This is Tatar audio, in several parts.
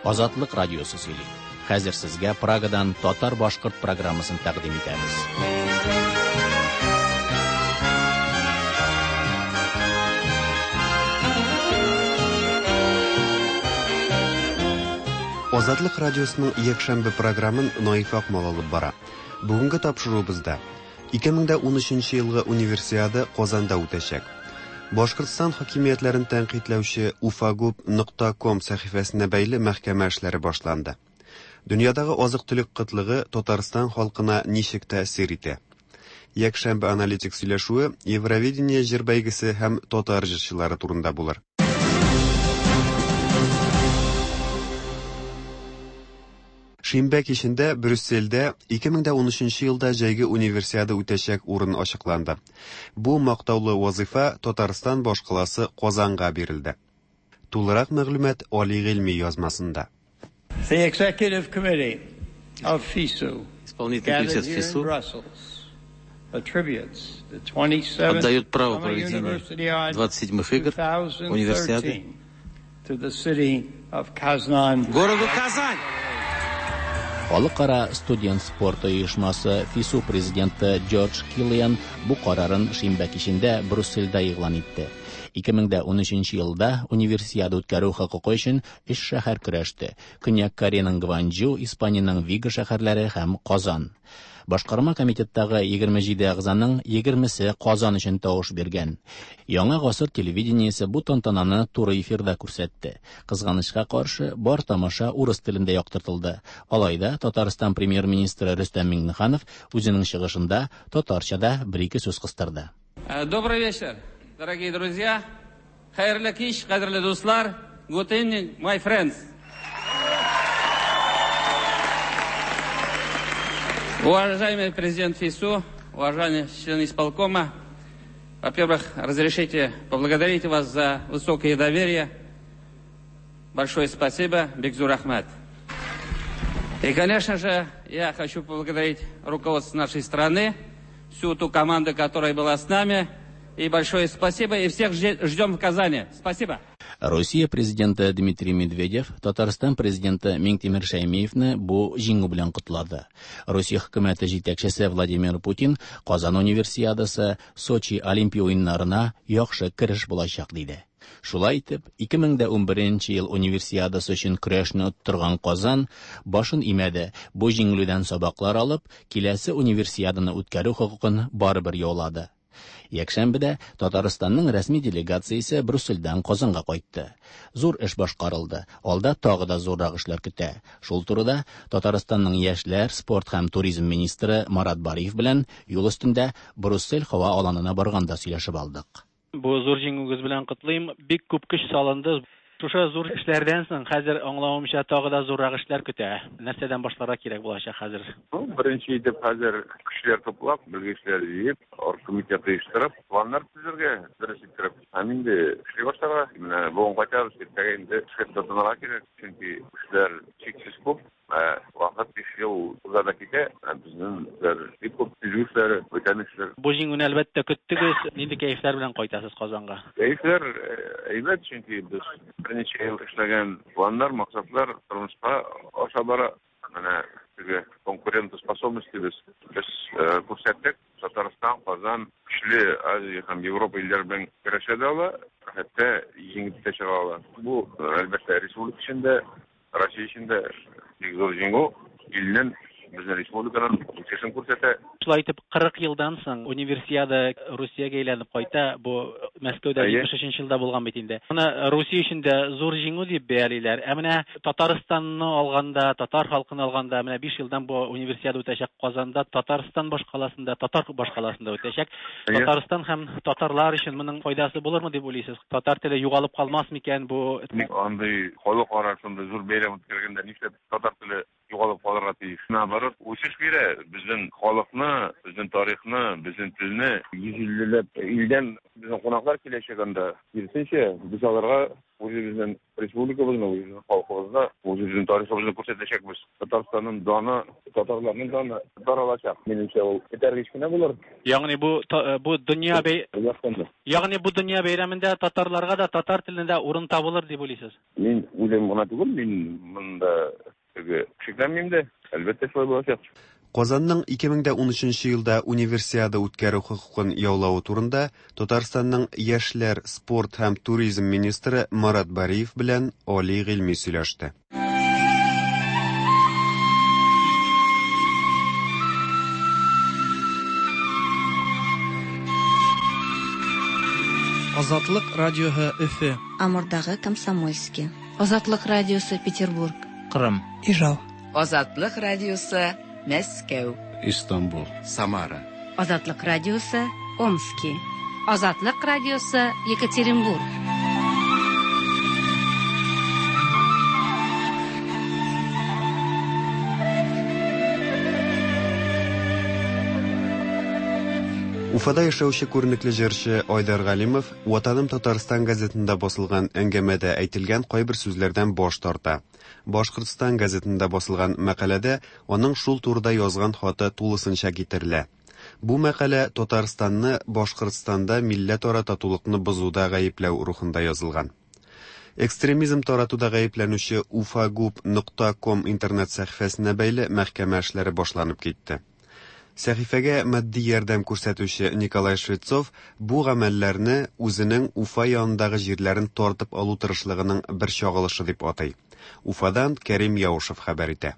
Азатлык радиосы сөйли. Хәзер сезгә Прагадан татар-башкорт программасын тәкъдим итәбез. Азатлык радиосының якшәмбе програмын Наиф Акмал алып бара. Бүгенге тапшыруыбызда 2013 елгы Универсиада Казанда үтәчәк. Башкортстан хакимиятләрен тәнкыйтьләүче ufagub.com сәхифәсенә бәйле мәхкәмә эшләре башланды. Дөньядагы азык-төлек кытлыгы Татарстан халкына ничек тәэсир итә? Якшәмбе аналитик сөйләшүе Евровидение җыр бәйгесе һәм татар җырчылары турында булыр. Шимбә кичендә Брюссельдә 2013 елда җәйге Универсиада үтәчәк урын ачыкланды. Бу мактаулы вазыйфа Татарстан башкаласы Казанга бирелде. Тулырак мәгълүмат Али Гыйльми язмасында. The Executive Committee of FISU Исполнительный gathered комитет here in ФИСУ Brussels attributes the 27th отдает право Summer проведения Universiade 27-х игр Универсиады 2013 to the city of Kazan. городу Казань. Халыкара студент спорты оешмасы ФИСУ президенты Джордж Киллиан бу карарын шимбә кичендә Брюссельдә игълан итте. 2013 елда Универсиада үткәрү хокукы өчен өч шәһәр көрәште. Көньяк Кореяның Гванчжу, Испаниянең Виго шәһәрләре һәм Казан. Башкарма комитеттагы 27 әгъзаның 20-се Казан өчен тавыш биргән. Яңа гасыр телевидениесе бу тантананы туры эфирда күрсәтте. Кызганычка каршы, бар тамаша урыс телендә яктыртылды. Алай да Татарстан премьер-министры Рөстәм Миңнеханов үзенең чыгышында татарча да бер-ике сүз кыстырды. Добрый вечер, дорогие друзья. Хәерле кич, кадерле дуслар. Good evening, my friends. Уважаемый президент ФИСУ, уважаемые члены исполкома, во-первых, разрешите поблагодарить вас за высокое доверие. Большое спасибо, Бекзур Ахмад. И, конечно же, я хочу поблагодарить руководство нашей страны, всю ту команду, которая была с нами. И большое спасибо, и всех ждем в Казани. Спасибо. Россия президенты Дмитрий Медведев Татарстан президенты Миңтимер Шәймиевне бу җиңү белән котлады. Россия хөкүмәте җитәкчесе Владимир Путин Казан Универсиадасы Сочи Олимпия уеннарына яхшы кереш булачак диде. Шулай итеп, 2011 ел Универсиадасы өчен көрәшне оттырган Казан башын имәде. Бу җиңелүдән сабаклар алып, киләсе Универсиаданы үткәрү хокукын барыбер яулады. Якшәмбедә Татарстанның рәсми делегациясе Брюссельдән Казанга кайтты. Зур эш башкарылды. Алда тагы да зуррак эшләр көтә. Шул турыда Татарстанның яшьләр, спорт һәм туризм министры Марат Бариев белән юл өстендә Брюссель һава аланына барганда сөйләшеп алдык. Бу зур җиңүегез белән котлыйм. Бик күп көч салынды. Шушы зур эшләрдән соң хәзер аңлавымча тагы да зуррак эшләр көтә. Нәрсәдән башларга кирәк булачак хәзер? Ну, беренче итеп хәзер кешеләр туплап, белгечләр җыеп, оргкомитет оештырып, планнар төзергә, дөрес иттереп. Һәм инде эшли башларга. Менә бүген кайтабыз, иртәгә инде эшкә тотынырга кирәк, чөнки эшләр чиксез күп. Вакыт 5 ел уза да китә, ә безнең эшләр бик күп, төзү эшләре, бүтән эшләр. Бу җиңүне әлбәттә көттегез. Нинди кәефләр белән кайтасыз Казанга? Кәефләр әйбәт, чөнки без берничә ел эшләгән планнар, максатлар тормышка аша бара. Менә теге конкурентоспособность без күрсәттек. Татарстан, Казан көчле Азия һәм Европа илләре белән көрәшә дә ала, хәтта җиңеп тә чыга ала. Бу, әлбәттә, республика өчен дә, Россия өчен дә бик зур җиңү, илнең, безнең республиканың үсешен күрсәтә. Шулай итеп, 40 елдан соң Универсиада Русиягә әйләнеп кайта. Бу Мәскәүдә 73 елда булган бит инде. Моны Русия өчен дә зур җиңү дип бәялиләр. Ә менә Татарстанны алганда, татар халкын алганда, менә 5 елдан бу Универсиада үтәчәк Казанда, Татарстан башкаласында, татар башкаласында үтәчәк. Татарстан һәм татарлар өчен моның файдасы булырмы дип уйлыйсыз? Татар теле югалып калмас микән бу? Андый халыкара шундый зур бәйрәм үткәргәндә нишләп татар теле югалып калырга тиеш. Наоборот, үсеш бирә безнең халыкны, безнең тарихны, безнең телне. 150 ләп илдән безнең кунаклар киләчәк анда. Киресенчә, без аларга үзебезнең республикабызны, үзебезнең халкыбызны, үзебезнең тарихыбызны күрсәтәчәкбез. Татарстанның даны, татарларның даны таралачак. Минемчә, ул этәргеч кенә булыр. Ягъни бу бу дөнья бәй Ягъни бу дөнья бәйрәмендә татарларга да, татар теленә дә урын табылыр дип уйлыйсыз? Мин уйлыйм гына түгел, мин монда теге шикләнмим дә. Әлбәттә, шулай булачак. Казанның 2013 елда Универсиада үткәрү хокукын яулавы турында Татарстанның яшьләр, спорт һәм туризм министры Марат Бариев белән Али Гыйльми сөйләште. Азатлык радиоһы Өфе. Амурдагы Комсомольски. Азатлык радиосы Петербург. Кырым. Ижау. Азатлык радиосы Мәскәү. Истанбул. Самара. Азатлык радиосы Омски. Азатлык радиосы Екатеринбург. Уфада яшәүче күренекле җырчы Айдар Галимов Ватаным Татарстан газетында басылган әңгәмәдә әйтелгән кайбер сүзләрдән баш тарта. Башкортстан газетында басылган мәкаләдә аның шул турыда язган хаты тулысынча китерелә. Бу мәкалә Татарстанны Башкортстанда милләтара татулыкны бозуда гаепләү рухында язылган. Экстремизм таратуда гаепләнүче ufagub.com интернет сәхифәсенә бәйле мәхкәмә эшләре башланып китте. Сәхифәгә матди ярдәм күрсәтүче Николай Швецов бу гамәлләрне үзенең Уфа янындагы җирләрен тартып алу тырышлыгының бер чагылышы дип атый. Уфадан Кәрим Яушев хәбәр итә.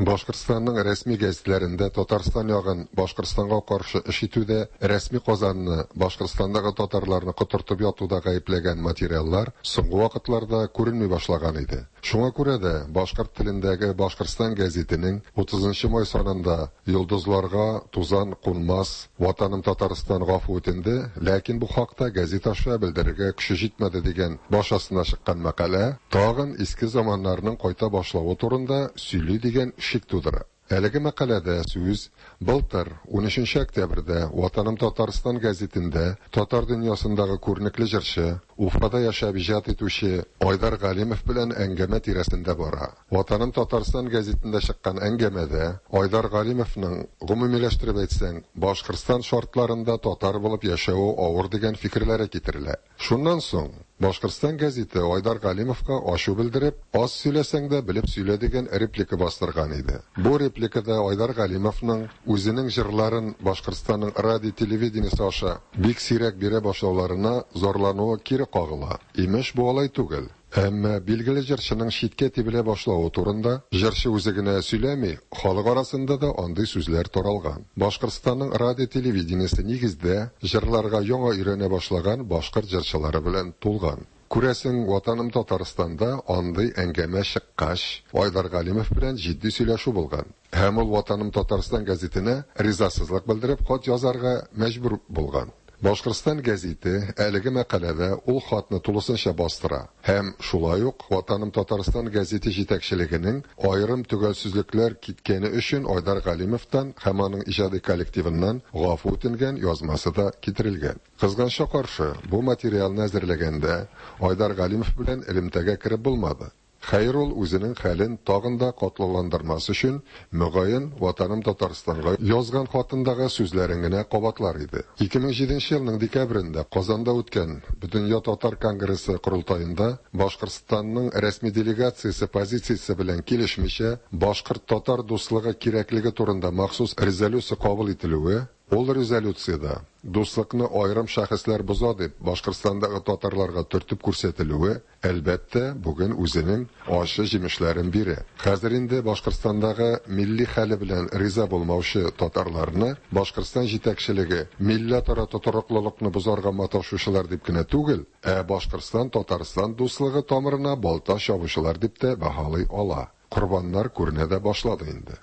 Башкортстанның рәсми гәзитләрендә Татарстан ягын Башкортстанга каршы эш итүдә, рәсми Казанны Башкортстандагы татарларны котыртып ятуда гаепләгән материаллар соңгы вакытларда күренми башлаган иде. Шуңа күрә дә башкорт телендәге Башкортстан гәзитенең 30 май санында йолдызларга тузан кунмас, Ватаным Татарстан гафу үтенде, ләкин бу хакта гәзит аша белдерергә көче җитмәде дигән баш астына чыккан мәкалә тагын иске заманнарның кайта башлавы турында сөйли дигән шик тудыра. Әлеге мәкаләдә сүз былтыр 13 октябрьдә Ватаным Татарстан гәзитендә татар дөньясындагы күренекле җырчы, Уфада яшәп иҗат итүче Айдар Галимов белән әңгәмә тирәсендә бара. Ватаным Татарстан гәзитендә чыккан әңгәмәдә Айдар Галимовның гомумиләштереп әйтсәң, Башкортстан шартларында татар булып яшәве авыр дигән фикерләре китерелә. Шуннан соң Башкортстан гәзите Айдар Галимовка ачу белдереп, аз сөйләсәң дә белеп сөйлә дигән реплика бастырган иде. Бу репликада Айдар Галимовның үзенең җырларын Башкортстанның радио телевидениесе аша бик сирәк бирә башлауларына зарлануы кире кагыла. Имеш, бу алай түгел. Әмма билгеле җырчының читкә тибелә башлавы турында җырчы үзе генә сөйләми, халык арасында да андый сүзләр таралган. Башкортстанның радио телевидениесе нигездә җырларга яңа өйрәнә башлаган башкорт җырчылары белән тулган. Күрәсең, Ватаным Татарстанда андый әңгәмә чыккач, Айдар Галимов белән җитди сөйләшү булган. Һәм ул Ватаным Татарстан гәзитенә ризасызлык белдереп хат язарга мәҗбүр булган. Башкортстан гәзите әлеге мәкаләдә ул хатны тулысынча бастыра һәм шулай ук Ватаным Татарстан гәзите җитәкчелегенең аерым төгәлсезлекләр киткәне өчен Айдар Галимовтан һәм аның иҗади коллективыннан гафу үтенгән язмасы да китерелгән. Кызганычка каршы, бу материалны әзерләгәндә Айдар Галимов белән элемтәгә кереп булмады. Хәер, ул үзенең хәлен тагын да катлауландырмас өчен, мөгаен, Ватаным Татарстанга язган хатындагы сүзләрен генә кабатлар иде. 2007 елның декабрендә Казанда үткән Бөтендөнья татар конгрессы корылтаенда Башкортстанның рәсми делегациясе позициясе белән килешмичә, башкорт-татар дуслыгы кирәклеге турында махсус резолюция кабул ителүе, ул резолюциядә дуслыкны аерым шәхесләр боза дип Башкортстандагы татарларга төртеп күрсәтелүе, әлбәттә, бүген үзенең ачы җимешләрен бирә. Хәзер инде Башкортстандагы милли хәле белән риза булмаучы татарларны Башкортстан җитәкчелеге милләтара тотрыклылыкны бозарга маташучылар дип кенә түгел, ә Башкортстан-Татарстан дуслыгы тамырына балта чабучылар дип тә баһалый ала. Корбаннар күренә дә башлады инде.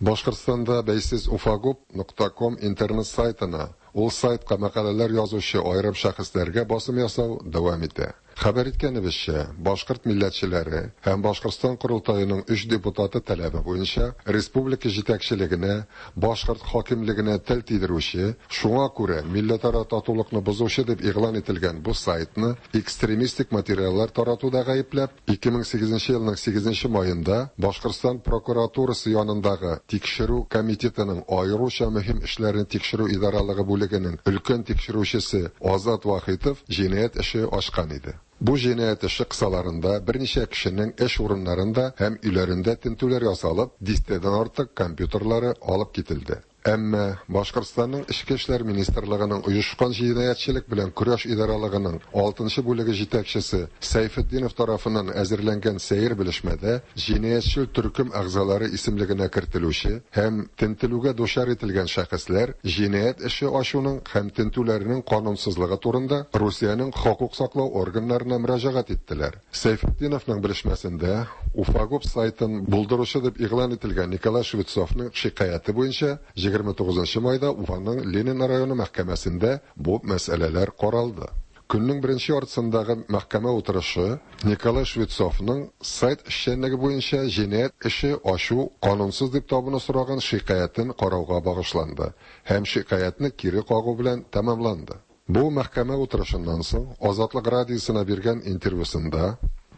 Башкортстанда бәйсез ufagub.com интернет сайтына, ул сайтка мәкаләләр язучы аерым шәхесләргә басым ясау дәвам итә. Хәбәр иткәнебезчә, башкорт милләтчеләре һәм Башкортстан Корылтаеның өч депутаты таләбе буенча республика җитәкчелегенә, башкорт хакимлегенә тел тидерүче, шуңа күрә милләтара татулыкны бозучы дип игълан ителгән бу сайтны экстремистик материаллар таратуда гаепләп, 2008 елның 8 маенда Башкортстан прокуратурасы янындагы Тикшерү комитетының аеруча мөһим эшләрне тикшерү идаралыгы бүлегенең өлкән тикшерүчесе Азат Вахитов җинаять эше ачкан иде. Бу җинаять эше кысаларында берничә кешенең эш урыннарында һәм өйләрендә тентүләр ясалып, дистәдән артык компьютерлары алып кителде. Әмма Башкортстанның Эчке эшләр министрлыгының оешкан җинаятьчелек белән көрәш идаралыгының 6 бүлеге җитәкчесе Сәйфетдинов тарафыннан әзерләнгән сәер белешмәдә җинаятьчел төркем әгъзалары исемлегенә кертелүче һәм тентелүгә дучар ителгән шәхесләр җинаять эше ачуның һәм тентүләрнең канунсызлыгы турында Русиянең хокук саклау органнарына мөрәҗәгать иттеләр. Сәйфетдиновның белешмәсендә Уфагуб сайтын булдыручы дип игълан ителгән Николай Швецовның шикаяте буенча 29 майда Уфаның Ленин районы мәхкәмәсендә бу мәсьәләләр каралды. Көннең беренче яртысындагы мәхкәмә утырышы Николай Швецовның сайт эшчәнлеге буенча җинаять эше ачу канунсыз дип табуны сораган шикаятен карауга багышланды һәм шикаятне кире кагу белән тәмамланды. Бу мәхкәмә утырышыннан соң Азатлык радиосына биргән интервьюсында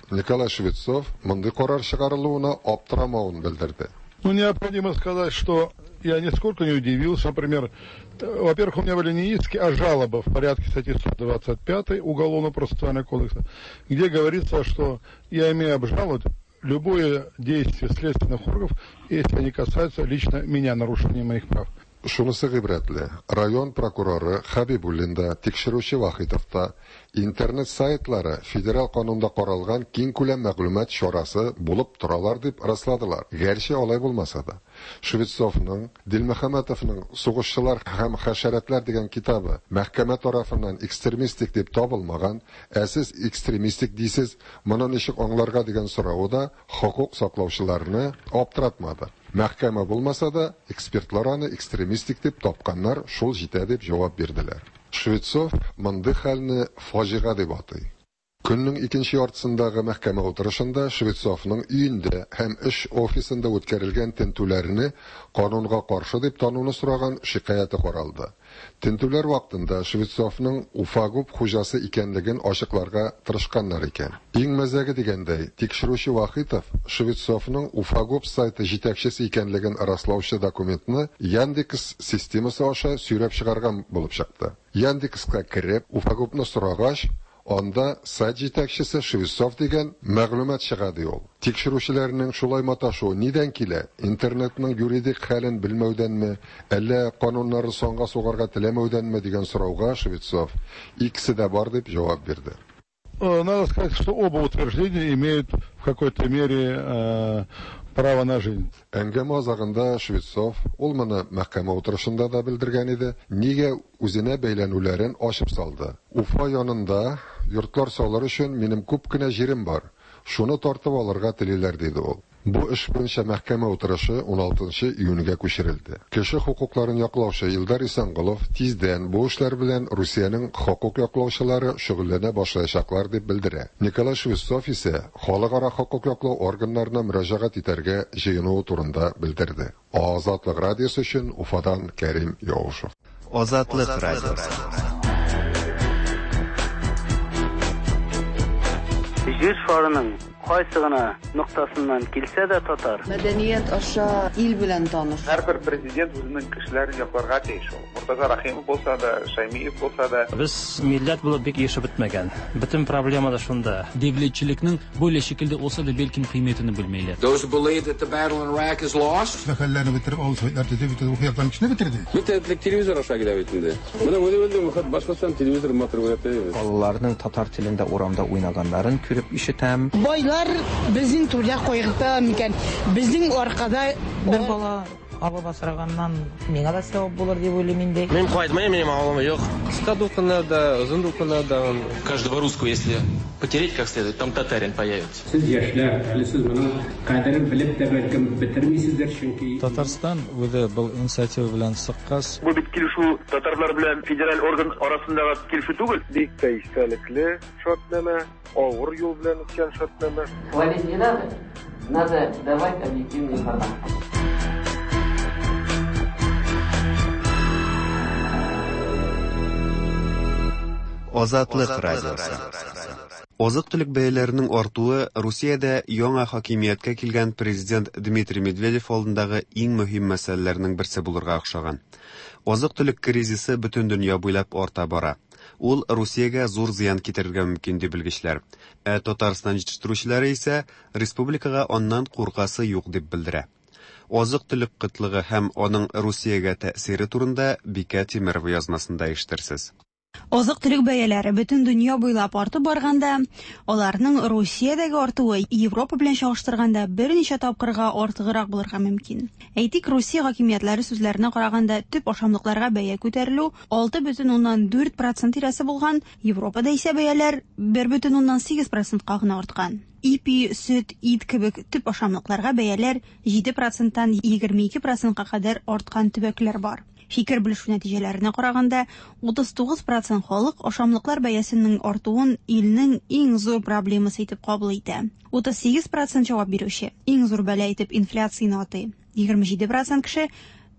Николай Швецов мондый карар чыгарылуына аптырамавын белдерде. Ну, необходимо сказать, что я нисколько не удивился. Например, во-первых, у меня были не иски, а жалобы в порядке статьи 125 Уголовно-процессуального кодекса, где говорится, что я имею обжаловать любое действие следственных органов, если они касаются лично меня, нарушения моих прав. Шунысы гыйбрәтле, район прокуроры Хәбибуллин да, тикшерүче Вахитов та интернет сайтлары федераль канунда каралган киң күләм мәгълүмат чарасы булып торалар дип расладылар. Гәрчә алай булмаса да. Швецовның, Дилмөхәммәтовның Сугышчылар һәм хәшәрәтләр дигән китабы мәхкәмә тарафыннан экстремистик дип табылмаган, ә сез экстремистик дисез, моны ничек аңларга дигән соравы да хокук саклаучыларны аптыратмады. Мәхкәмә булмаса да, экспертлар аны экстремистик дип тапканнар, шул җитә дип җавап бирделәр. Швецов мондый хәлне фаҗига дип атый. Көннең икенче яртысындагы мәхкәмә утырышында Швецовның өендә һәм эш офисында үткәрелгән тентүләрне канунга каршы дип тануны сораган шикаяте каралды. Тентүләр вакытында Швецовның Уфагуб хуҗасы икәнлеген ачыкларга тырышканнар икән. Иң мәзәге дигәндәй, тикшерүче Вахитов Швецовның Уфагуб сайты җитәкчесе икәнлеген раслаучы документны Яндекс системасы аша сөйрәп чыгарган булып чыкты. Яндекска кереп, Уфагубны сорагач, анда сайт җитәкчесе Швецов дигән мәгълүмат чыга ди ул. Тикшерүчеләрнең шулай маташуы нидән килә? Интернетның юридик хәлен белмәүдәнме, әллә кануннарын санга сугарга теләмәүдәнме дигән сорауга Швецов икесе дә бар дип җавап бирде. Надо сказать, что оба утверждения имеют в какой-то мере право на жизнь. Әңгәмә азагында Швецов, ул моны мәхкәмә утырышында да белдергән иде, нигә үзенә бәйләнүләрен ачып салды. Уфа янында йортлар салыр өчен минем күп кенә җирем бар. Шуны тартып алырга телиләр, диде ул. Бу эш буенча мәхкәмә утырышы 16 июньгә күчерелде. Кеше хокукларын яклаучы Илдар Исәнголов тиздән бу эшләр белән Русиянең хокук яклаучылары шөгыльләнә башлаячаклар дип белдерә. Николай Швецов исә халыкара хокук яклау органнарына мөрәҗәгать итәргә җыенуы турында белдерде. Азатлык радиосы өчен Уфадан Кәрим Яушев. Азатлык радиосы. Җир шарының кайсы гына ноктасыннан килсә дә татар. Мәдәният аша ил белән таныш. Һәрбер президент үзенең кешеләрен якларга тиеш ул. Мортаза Рахимов булса да, Шаймиев булса да. Без милләт булып бик ешып бетмәгән. Бөтен проблема да шунда. Devletchilikning böyle şekilde olsa da belki kıymetini bilmeyler. Those who believe that the battle in Iraq is lost. Мәхәлләне бетереп, авыл советлар төзеп, бөтен ухуякларның эченә бетерде. Бөтен телевизор аша килә бит инде. Менә үзе Башкортстан телевизор матур күрәтә. Балаларның татар телендә урамда уйнаганнарын күреп ишетәм. Байлар безнең түрдә кайгырта микән? Безнең аркада бер бала Алып асраганнан миңа да сәвап булыр дип уйлыйм инде. Мин кайтмыйм, минем авылым юк. Кыска дулкыннарда, озын дулкыннарда. Каждого русского, если потереть как следует, там татарин появится. Сез яшьләр, әле сез моның кадерен белеп тә бәлкем бетермисездер, чөнки Татарстан үзе был инициатива белән чыккач, Бу бит килешү татарлар белән федераль орган арасындагы килешү түгел. Бик тә истәлекле шартнамә, авыр юл белән үткән шартнамә. Хвалить не надо, надо давать объективную информацию. Азатлык радиосы. Азык-төлек бәяләренең артуы Русиядә яңа хакимияткә килгән президент Дмитрий Медведев алдындагы иң мөһим мәсьәләләрнең берсе булырга охшаган. Азык-төлек кризисы бөтен дөнья буйлап арта бара. Ул Русиягә зур зыян китерергә мөмкин ди белгечләр. Ә Татарстан җитештерүчеләре исә республикага аннан куркасы юк дип белдерә. Азык-төлек кытлыгы һәм аның Русиягә тәэсире турында Бикә Тимерова язмасында ишетерсез. Азык-төлек бәяләре бөтен дөнья буйлап артып барганда, аларның Русиядәге артуы Европа белән чагыштырганда берничә тапкырга артыграк булырга мөмкин. Әйтик, Русия хакимиятләре сүзләренә караганда, төп ашамлыкларга бәя күтәрелү 6,4% тирәсе булган, Европада исә бәяләр 1,8%ка гына арткан. Ипи, сөт, ит кебек төп ашамлыкларга бәяләр 7%тан 22%ка кадәр арткан төбәкләр бар. Фикер белешү нәтиҗәләренә караганда, 39% халык ашамлыклар бәясенең артуын илнең иң зур проблемасы итеп кабул итә. 38% җавап бирүче иң зур бәла итеп инфляцияне атый. 27% кеше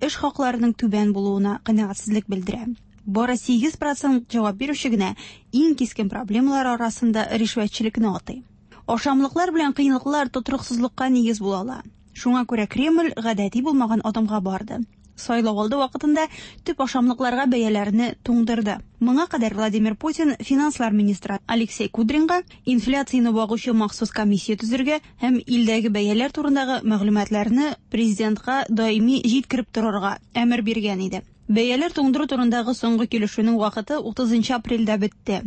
эш хакларының түбән булуына канәгатьсезлек белдерә. Бары 8% җавап бирүче генә иң кискен проблемалар арасында ришвәтчелекне атый. Ашамлыклар белән кыенлыклар тотрыксызлыкка нигез була ала. Шуңа күрә Кремль гадәти булмаган адымга барды. Сайлау алды вакытында төп ашамлыкларга бәяләрне туңдырды. Моңа кадәр Владимир Путин финанслар министры Алексей Кудринга инфляцияне багучы махсус комиссия төзергә һәм илдәге бәяләр турындагы мәгълүматларны президентка даими җиткереп торырга әмер биргән иде. Бәяләр туңдыру турындагы соңгы килешүнең вакыты 30 апрельдә бетте.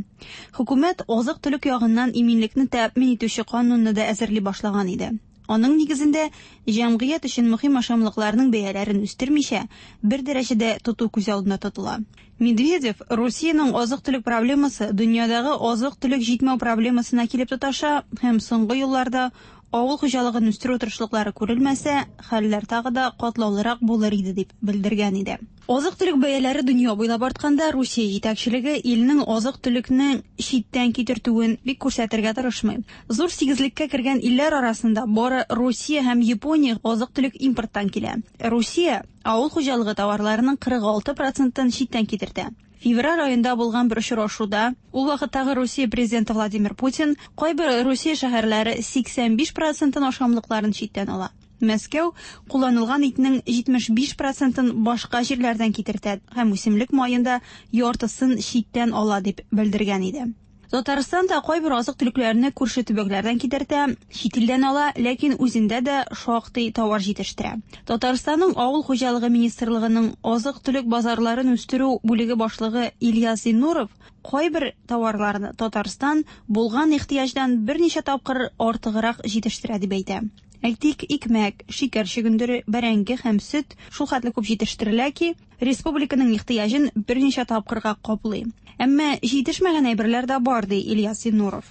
Хөкүмәт азык-төлек ягыннан иминлекне тәэмин итүче канунны да әзерли башлаган иде. Аның нигезендә җәмгыять өчен мөһим ашамлыкларның бәяләрен үстермичә, бер дәрәҗәдә тоту күз алдында тотыла. Медведев Русиянең азык-төлек проблемасы дөньядагы азык-төлек җитмәү проблемасына килеп тоташа һәм соңгы елларда авыл хуҗалыгын үстерү тырышлыклары күрелмәсә, хәлләр тагы да катлаулырак булыр иде дип белдергән иде. Азык-төлек бәяләре дөнья буйлап артканда, Русия җитәкчелеге илнең азык-төлекне читтән китертүен бик күрсәтергә тырышмый. Зур сигезлеккә кергән илләр арасында бары Русия һәм Япония азык-төлек импорттан килә. Русия авыл хуҗалыгы товарларының 46%-ын читтән китертә. Февраль аенда булган бер очрашуда ул вакыттагы Русия президенты Владимир Путин кайбер Русия шәһәрләре 85%-ын ашамлыкларын читтән ала. Мәскәү кулланылган итнең 75%-ын башка җирләрдән китертә һәм үсемлек маен да яртысын читтән ала дип белдергән иде. Татарстан да кайбер азык-төлекләрне күрше төбәкләрдән китертә, чит илдән ала, ләкин үзендә дә шактый товар җитештерә. Татарстанның Авыл хуҗалыгы министрлыгының азык-төлек базарларын үстерү бүлеге башлыгы Ильяс Зиннуров кайбер товарларны Татарстан булган ихтыяҗдан берничә тапкыр артыграк җитештерә дип әйтә. Әйтик, икмәк, шикәр чөгендере, бәрәңге һәм сөт шул хәтле күп җитештерелә ки, республиканың ихтыяҗын берничә тапкырга каплый. Әмма җитешмәгән әйберләр дә бар, ди Ильяс Зиннуров.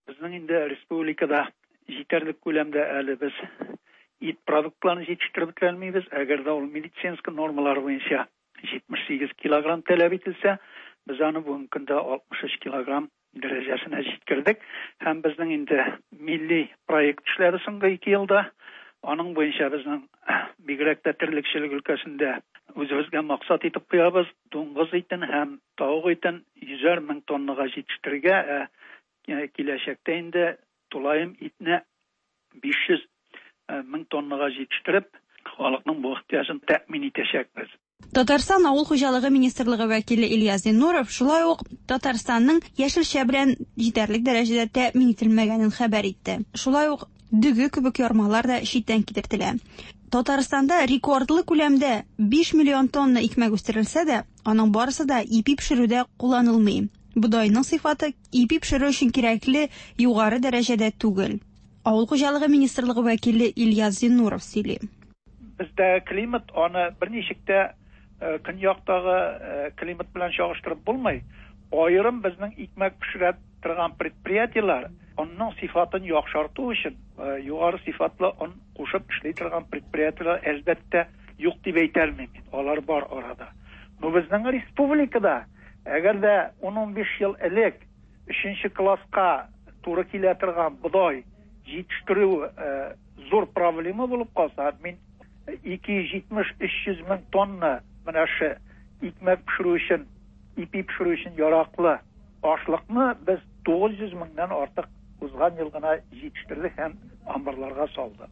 Безнең инде республикада җитәрлек күләмдә әле без ит продуктларын җитештереп бетерә алмыйбыз. Әгәр дә ул медицинский нормалар буенча 78 килограмм таләп ителсә, без аны бүгенге көндә 63 килограмм дәрәҗәсенә җиткердек. Һәм безнең инде милли проект эшләре соңгы 2 елда, аның буенча безнең бигрәк тә терлекчелек өлкәсендә үзебезгә максат итеп куябыз, дуңгыз итен һәм тавык итен 100 мең тоннага җитештерергә, ә киләчәктә инде тулаем итне 500 мең тоннага җитештереп, халыкның бу ихтыяҗын тәэмин итәчәкбез. Татарстан Авыл хуҗалыгы министрлыгы вәкиле Ильяс Зиннуров шулай ук Татарстанның яшелчә белән җитәрлек дәрәҗәдә тәэмин ителмәгәнен хәбәр итте. Шулай ук дөге кебек ярмалар да читтән китертелә. Татарстанда рекордлы күләмдә 5 миллион тонна икмәк үстерелсә дә, аның барысы да ипи пешерүдә кулланылмый. Бодайның сыйфаты ипи пешерү өчен кирәкле югары дәрәҗәдә түгел. Авыл хуҗалыгы министрлыгы вәкиле Ильяс Зиннуров сөйли. Бездәге климат аны берничек тә көньяктагы климат белән чагыштырып булмый. Аерым безнең икмәк пешерә торган предприятиеләр онның сыйфатын яхшырту өчен югары сыйфатлы он кушып эшли торган предприятиеләр, әлбәттә, юк дип әйтә алмыйм мин. Алар бар арада. Но безнең республикада, әгәр дә 10-15 ел элек өченче класска туры килә торган бодай җитештерү зур проблема булып калса, мин 270-300 мең тонна менә шы икмәк пешерү өчен, ипи пешерү өчен яраклы ашлыкны без 900 меңнән артык узган ел гына җитештердек һәм амбарларга салдык.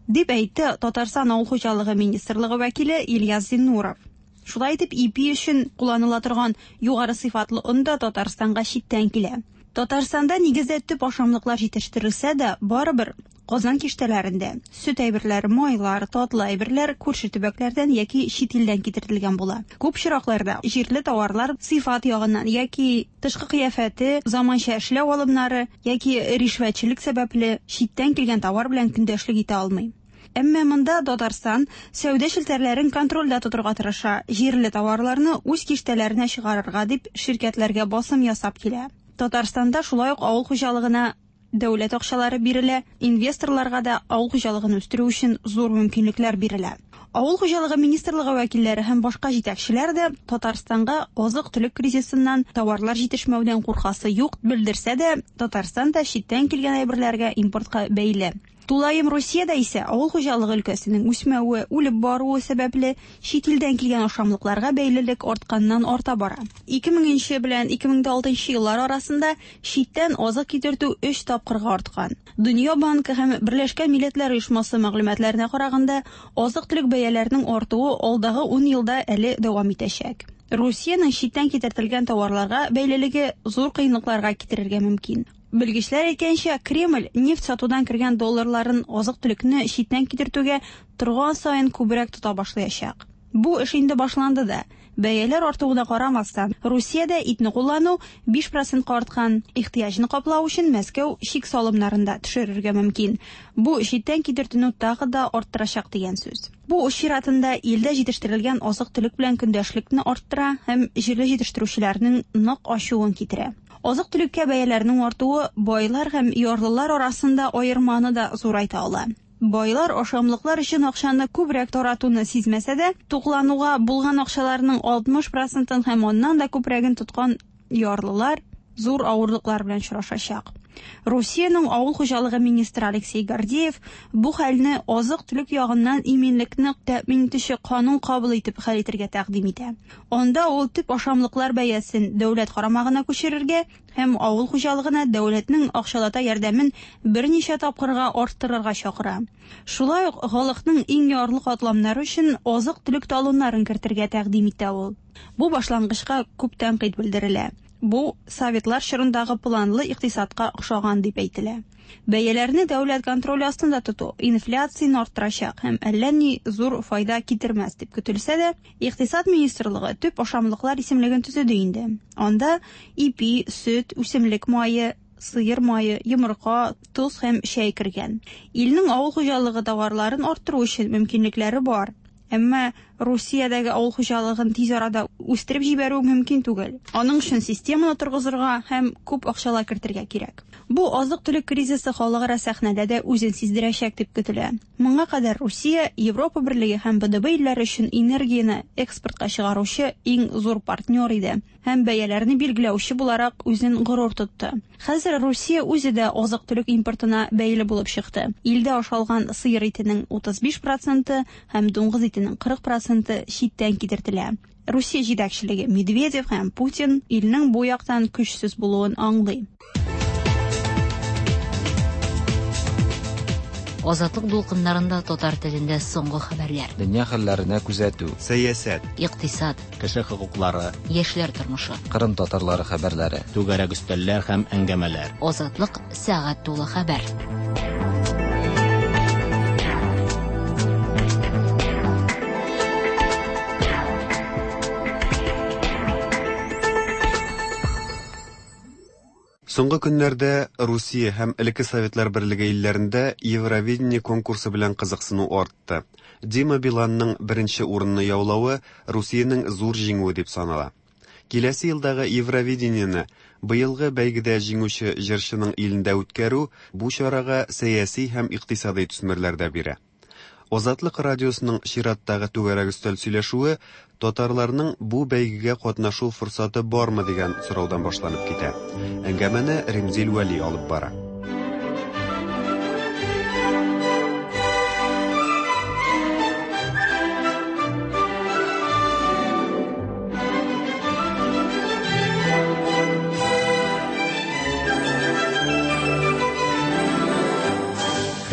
Дип әйтте Татарстан Авыл хуҗалыгы министрлыгы вәкиле Ильяс Зиннуров. Шулай итеп, ипи өчен кулланыла торган югары сыйфатлы он да Татарстанга читтән килә. Татарстанда нигездә төп ашамлыклар җитештерелсә дә, барыбер Казан киштәләрендә сөт әйберләре, майлар, татлы әйберләр күрше төбәкләрдән яки чит илдән китертелгән була. Күп очракларда җирле товарлар сыйфат ягыннан яки тышкы кыяфәте, заманча эшләү алымнары яки ришвәтчелек сәбәпле читтән килгән товар белән көндәшлек итә алмый. Әмма монда Татарстан сәүдә челтәрләрен контрольдә тотырга тырыша, җирле товарларны үз киштәләренә чыгарырга дип ширкәтләргә басым ясап килә. Татарстанда шулай ук авыл хуҗалыгына дәүләт акчалары бирелә, инвесторларга да авыл хуҗалыгын үстерү өчен зур мөмкинлекләр бирелә. Авыл хуҗалыгы министрлыгы вәкилләре һәм башка җитәкчеләр дә Татарстанга азык-төлек кризисыннан, товарлар җитешмәүдән куркасы юк белдерсә дә, Татарстан да читтән килгән әйберләргә импортка бәйле. Тулаем Русиядә исә авыл хуҗалыгы өлкәсенең үсмәве, үлеп баруы сәбәпле, чит илдән килгән ашамлыкларга бәйлелек артканнан арта бара. 2000 нче белән 2006 еллар арасында читтән азык китертү өч тапкырга арткан. Дөнья банкы һәм Берләшкән Милләтләр Оешмасы мәгълүматларына караганда, азык-төлек бәяләренең артуы алдагы ун елда әле дәвам итәчәк. Русиянең читтән китертелгән товарларга бәйлелеге зур кыенлыкларга китерергә мөмкин. Белгечләр әйткәнчә, Кремль нефть сатудан кергән долларларын азык-төлекне читтән китертүгә торган саен күбрәк тота башлаячак. Бу эш инде башланды да. Бәяләр артуына карамастан, Русиядә итне куллану 5 процентка арткан. Ихтыяҗны каплау өчен Мәскәү чик салымнарын да төшерергә мөмкин. Бу читтән китертүне тагы да арттырачак дигән сүз. Бу үз чиратында илдә җитештерелгән азык-төлек белән көндәшлекне арттыра һәм җирле җитештерүчеләрнең нык ачуын китерә. Азык-төлеккә бәяләрнең артуы байлар һәм ярлылар арасында аерманы да зурайта ала. Байлар ашамлыклар өчен акчаны күбрәк таратуны сизмәсә дә, туклануга булган акчаларының 60 процентын һәм аннан да күбрәген тоткан ярлылар зур авырлыклар белән очрашачак. Русиянең авыл хуҗалыгы министры Алексей Гордеев бу хәлне азык-төлек ягыннан иминлекне тәэмин итүче канун кабул итеп хәл итергә тәкъдим итә. Анда ул төп ашамлыклар бәясен дәүләт карамагына күчерергә һәм авыл хуҗалыгына дәүләтнең акчалата ярдәмен берничә тапкырга арттырырга чакыра. Шулай ук халыкның иң ярлы катламнары өчен азык-төлек талоннарын кертергә тәкъдим итә ул. Бу башлангычка күп тәнкыйть белдерелә. Бу советлар чорындагы планлы икътисадка охшаган дип әйтелә. Бәяләрне дәүләт контроле астында тоту инфляцияне арттырачак һәм әллә ни зур файда китермәс дип көтелсә дә, Икътисад министрлыгы төп ашамлыклар исемлеген төзеде инде. Анда ипи, сөт, үсемлек мае, сыер мае, йомырка, тоз һәм чәй кергән. Илнең авыл хуҗалыгы товарларын арттыру өчен мөмкинлекләре бар. Әмма Русиядәге авыл хуҗалыгын тиз арада үстереп җибәрү мөмкин түгел. Аның өчен системаны торгызырга һәм күп акчалар кертергә кирәк. Бу азык-төлек кризисы халыкара сәхнәдә дә үзен сиздерәчәк дип көтелә. Моңа кадәр Русия Европа Берлеге һәм БДБ илләре өчен энергияне экспортка чыгаручы иң зур партнер иде һәм бәяләрне билгеләүче буларак үзен горур тотты. Хәзер Русия үзе дә азык-төлек импортына бәйле булып чыкты. Илдә ашалган сыер итенең 35 проценты һәм дуңгыз итенең 40 проценты читтән китертелә. Русия җитәкчелеге Медведев һәм Путин илнең бу яктан көчсез булуын аңлый. Азатлык дулкыннарында татар телендә соңгы хәбәрләр. Дөнья хәлләренә күзәтү. Сәясәт. Икътисад. Кеше хокуклары. Яшьләр тормышы. Кырым татарлары хәбәрләре. Түгәрәк өстәлләр һәм әңгәмәләр. Азатлык сәгать тулы хәбәр. Соңгы көннәрдә Русия һәм элекке Советлар Берлеге илләрендә Евровидение конкурсы белән кызыксыну артты. Дима Биланның беренче урынны яулавы Русиянең зур җиңүе дип санала. Киләсе елдагы Евровидениене быелгы бәйгедә җиңүче җырчының илендә үткәрү бу чарага сәяси һәм икътисадый төсмерләр дә бирә. Азатлык радиосының чираттагы түгәрәк өстәл сөйләшүе татарларның бу бәйгегә катнашу форсаты бармы дигән сораудан башланып китә. Әңгәмәне Римзил Вәли алып бара.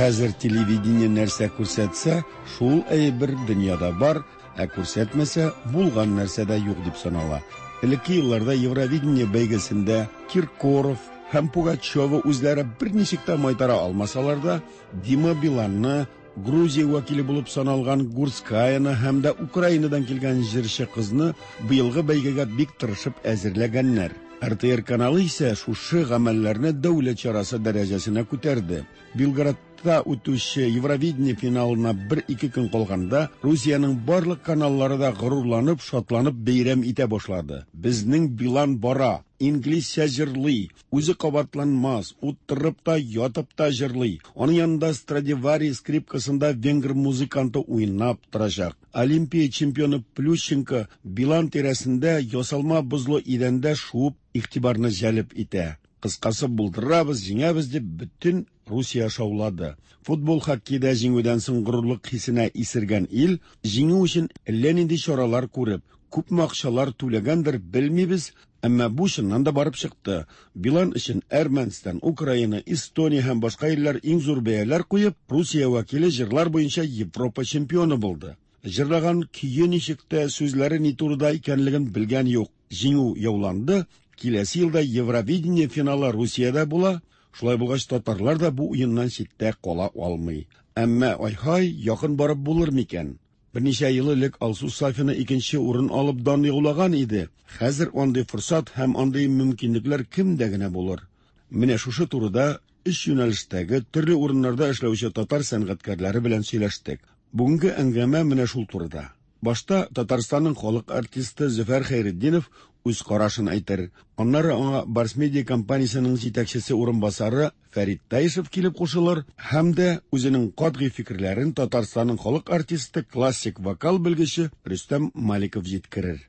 Хәзер телевидение нәрсә күрсәтсә, шул әйбер дөньяда бар, ә күрсәтмәсә, булган нәрсә дә юк дип санала. Элекке елларда Евровидение бәйгесендә Киркоров һәм Пугачева үзләре берничек тә майтара алмасалар да, Дима Биланны, Грузия вәкиле булып саналган Гурцкаяны һәм дә Украинадан килгән җырчы кызны быелгы бәйгегә бик тырышып әзерләгәннәр. РТР каналы исә шушы гамәлләрне дәүләт чарасы дәрәҗәсенә күтәрде. Белградта үтүче Евровидение финалына бер-ике көн калганда, Русиянең барлык каналлары да горурланып, шатланып бәйрәм итә башлады. Безнең Билан бара, инглизчә җырлый, үзе кабатланмас, утырып та, ятып та җырлый. Аның янында Страдивари скрипкасында венгр музыканты уйнап торачак. Олимпия чемпионы Плющенко Билан тирәсендә ясалма бозлы идәндә шуып игътибарны җәлеп итә. Кыскасы, булдырабыз, җиңәбез дип бөтен Русия шаулады. Футбол, хоккейда җиңүдән соң горурлык хисенә исергән ил, җиңү өчен әллә нинди чаралар күреп, күпме акчалар түләгәндер, белмибез, әмма бу чыннан да барып чыкты. Билан өчен Әрмәнстан, Украина, Эстония һәм башка илләр иң зур бәяләр куеп, Русия вәкиле җырлар буенча Европа чемпионы булды. Җырлаган көе ничек тә, сүзләре ни турыда икәнлеген белгән юк. Җиңү яуланды, киләсе елда Евровидение финалы Русиядә була, шулай булгач татарлар да бу уеннан читтә кала алмый. Әмма ай-һай, якын барып булыр микән? Берничә ел элек Алсу Сафина икенче урын алып дан яулаган иде. Хәзер андый форсат һәм андый мөмкинлекләр кемдә генә булыр? Менә шушы турыда өч юнәлештәге төрле урыннарда эшләүче татар сәнгатькәрләре белән сөйләштек. Бүгенге әңгәмә менә шул турыда. Башта Татарстанның халык артисты Зөфәр Хәйретдинов үз карашын әйтер. Аннары аңа Барс Медиа компаниясенең җитәкчесе урынбасары Фәрит Таишев килеп кушылыр һәм дә үзенең катгый фикерләрен Татарстанның халык артисты, классик вокал белгече Рөстәм Маликов җиткерер.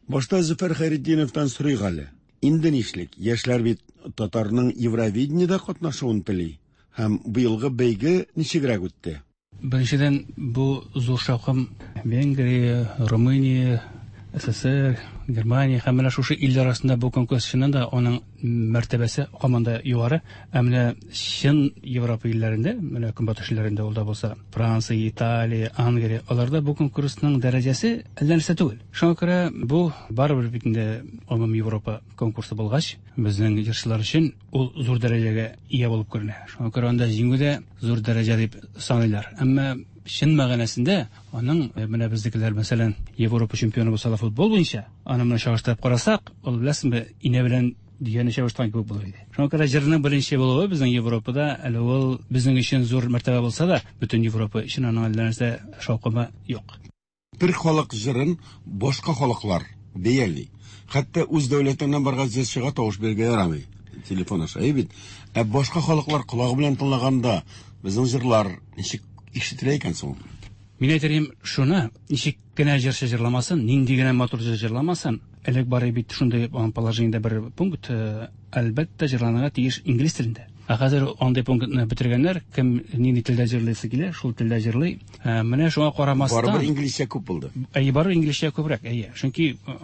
Башта Зөфәр Хәйретдиновтан сорыйк әле. Инде нишлик? Яшьләр бит татарның Евровидениедә катнашуын тели. Һәм быелгы бәйге ничегрәк үтте? Беренчедән, бу зур шаукым Венгрия, Румыния, СССР, Германия һәм менә шушы илләр арасында бу конкурс чыннан да аның мәртәбәсе һаман да югары. Ә менә чын Европа илләрендә, менә Көнбатыш илләрендә ул да булса, Франция, Италия, Англия, аларда бу конкурсның дәрәҗәсе әллә нәрсә түгел. Шуңа күрә бу барыбер бит инде гомум Европа конкурсы булгач, безнең җырчылар өчен ул зур дәрәҗәгә ия булып күренә. Шуңа күрә анда җиңү дә зур дәрәҗә дип саныйлар. Әмма чын мәгънәсендә аның э, менә безнекеләр, мәсәлән, Европа чемпионы булса да футбол буенча, аны менә чагыштырып карасак, ул беләсеңме, инә белән дөяне чагыштырган кебек булыр иде. Шуңа күрә җырның беренче булуы безнең Европада әле ул безнең өчен зур мәртәбә булса да, бөтен Европа өчен аның әллә нәрсә шаукымы юк. Бер халык җырын башка халыклар бәяли. Хәтта үз дәүләтеңнән барган җырчыга тавыш бирергә ярамый. Телефон аша, әйе бит. Ә башка халыклар колагы белән тыңлаганда безнең җырлар ничек ишетелә икән соң? Мин әйтер идем шуны, ничек кенә җырчы җырламасын, нинди генә матур җыр җырламасын, элек бар бит шундый положениедә бер пункт, э, әлбәттә җырланырга тиеш инглиз телендә. Ә хәзер андый пунктны бетергәннәр, кем нинди телдә җырлыйсы килә, шул телдә җырлый. Ә, менә шуңа карамастан. Барыбер инглизчә күп булды. Әйе, барыбер инглизчә күбрәк, әйе. Чөнки э,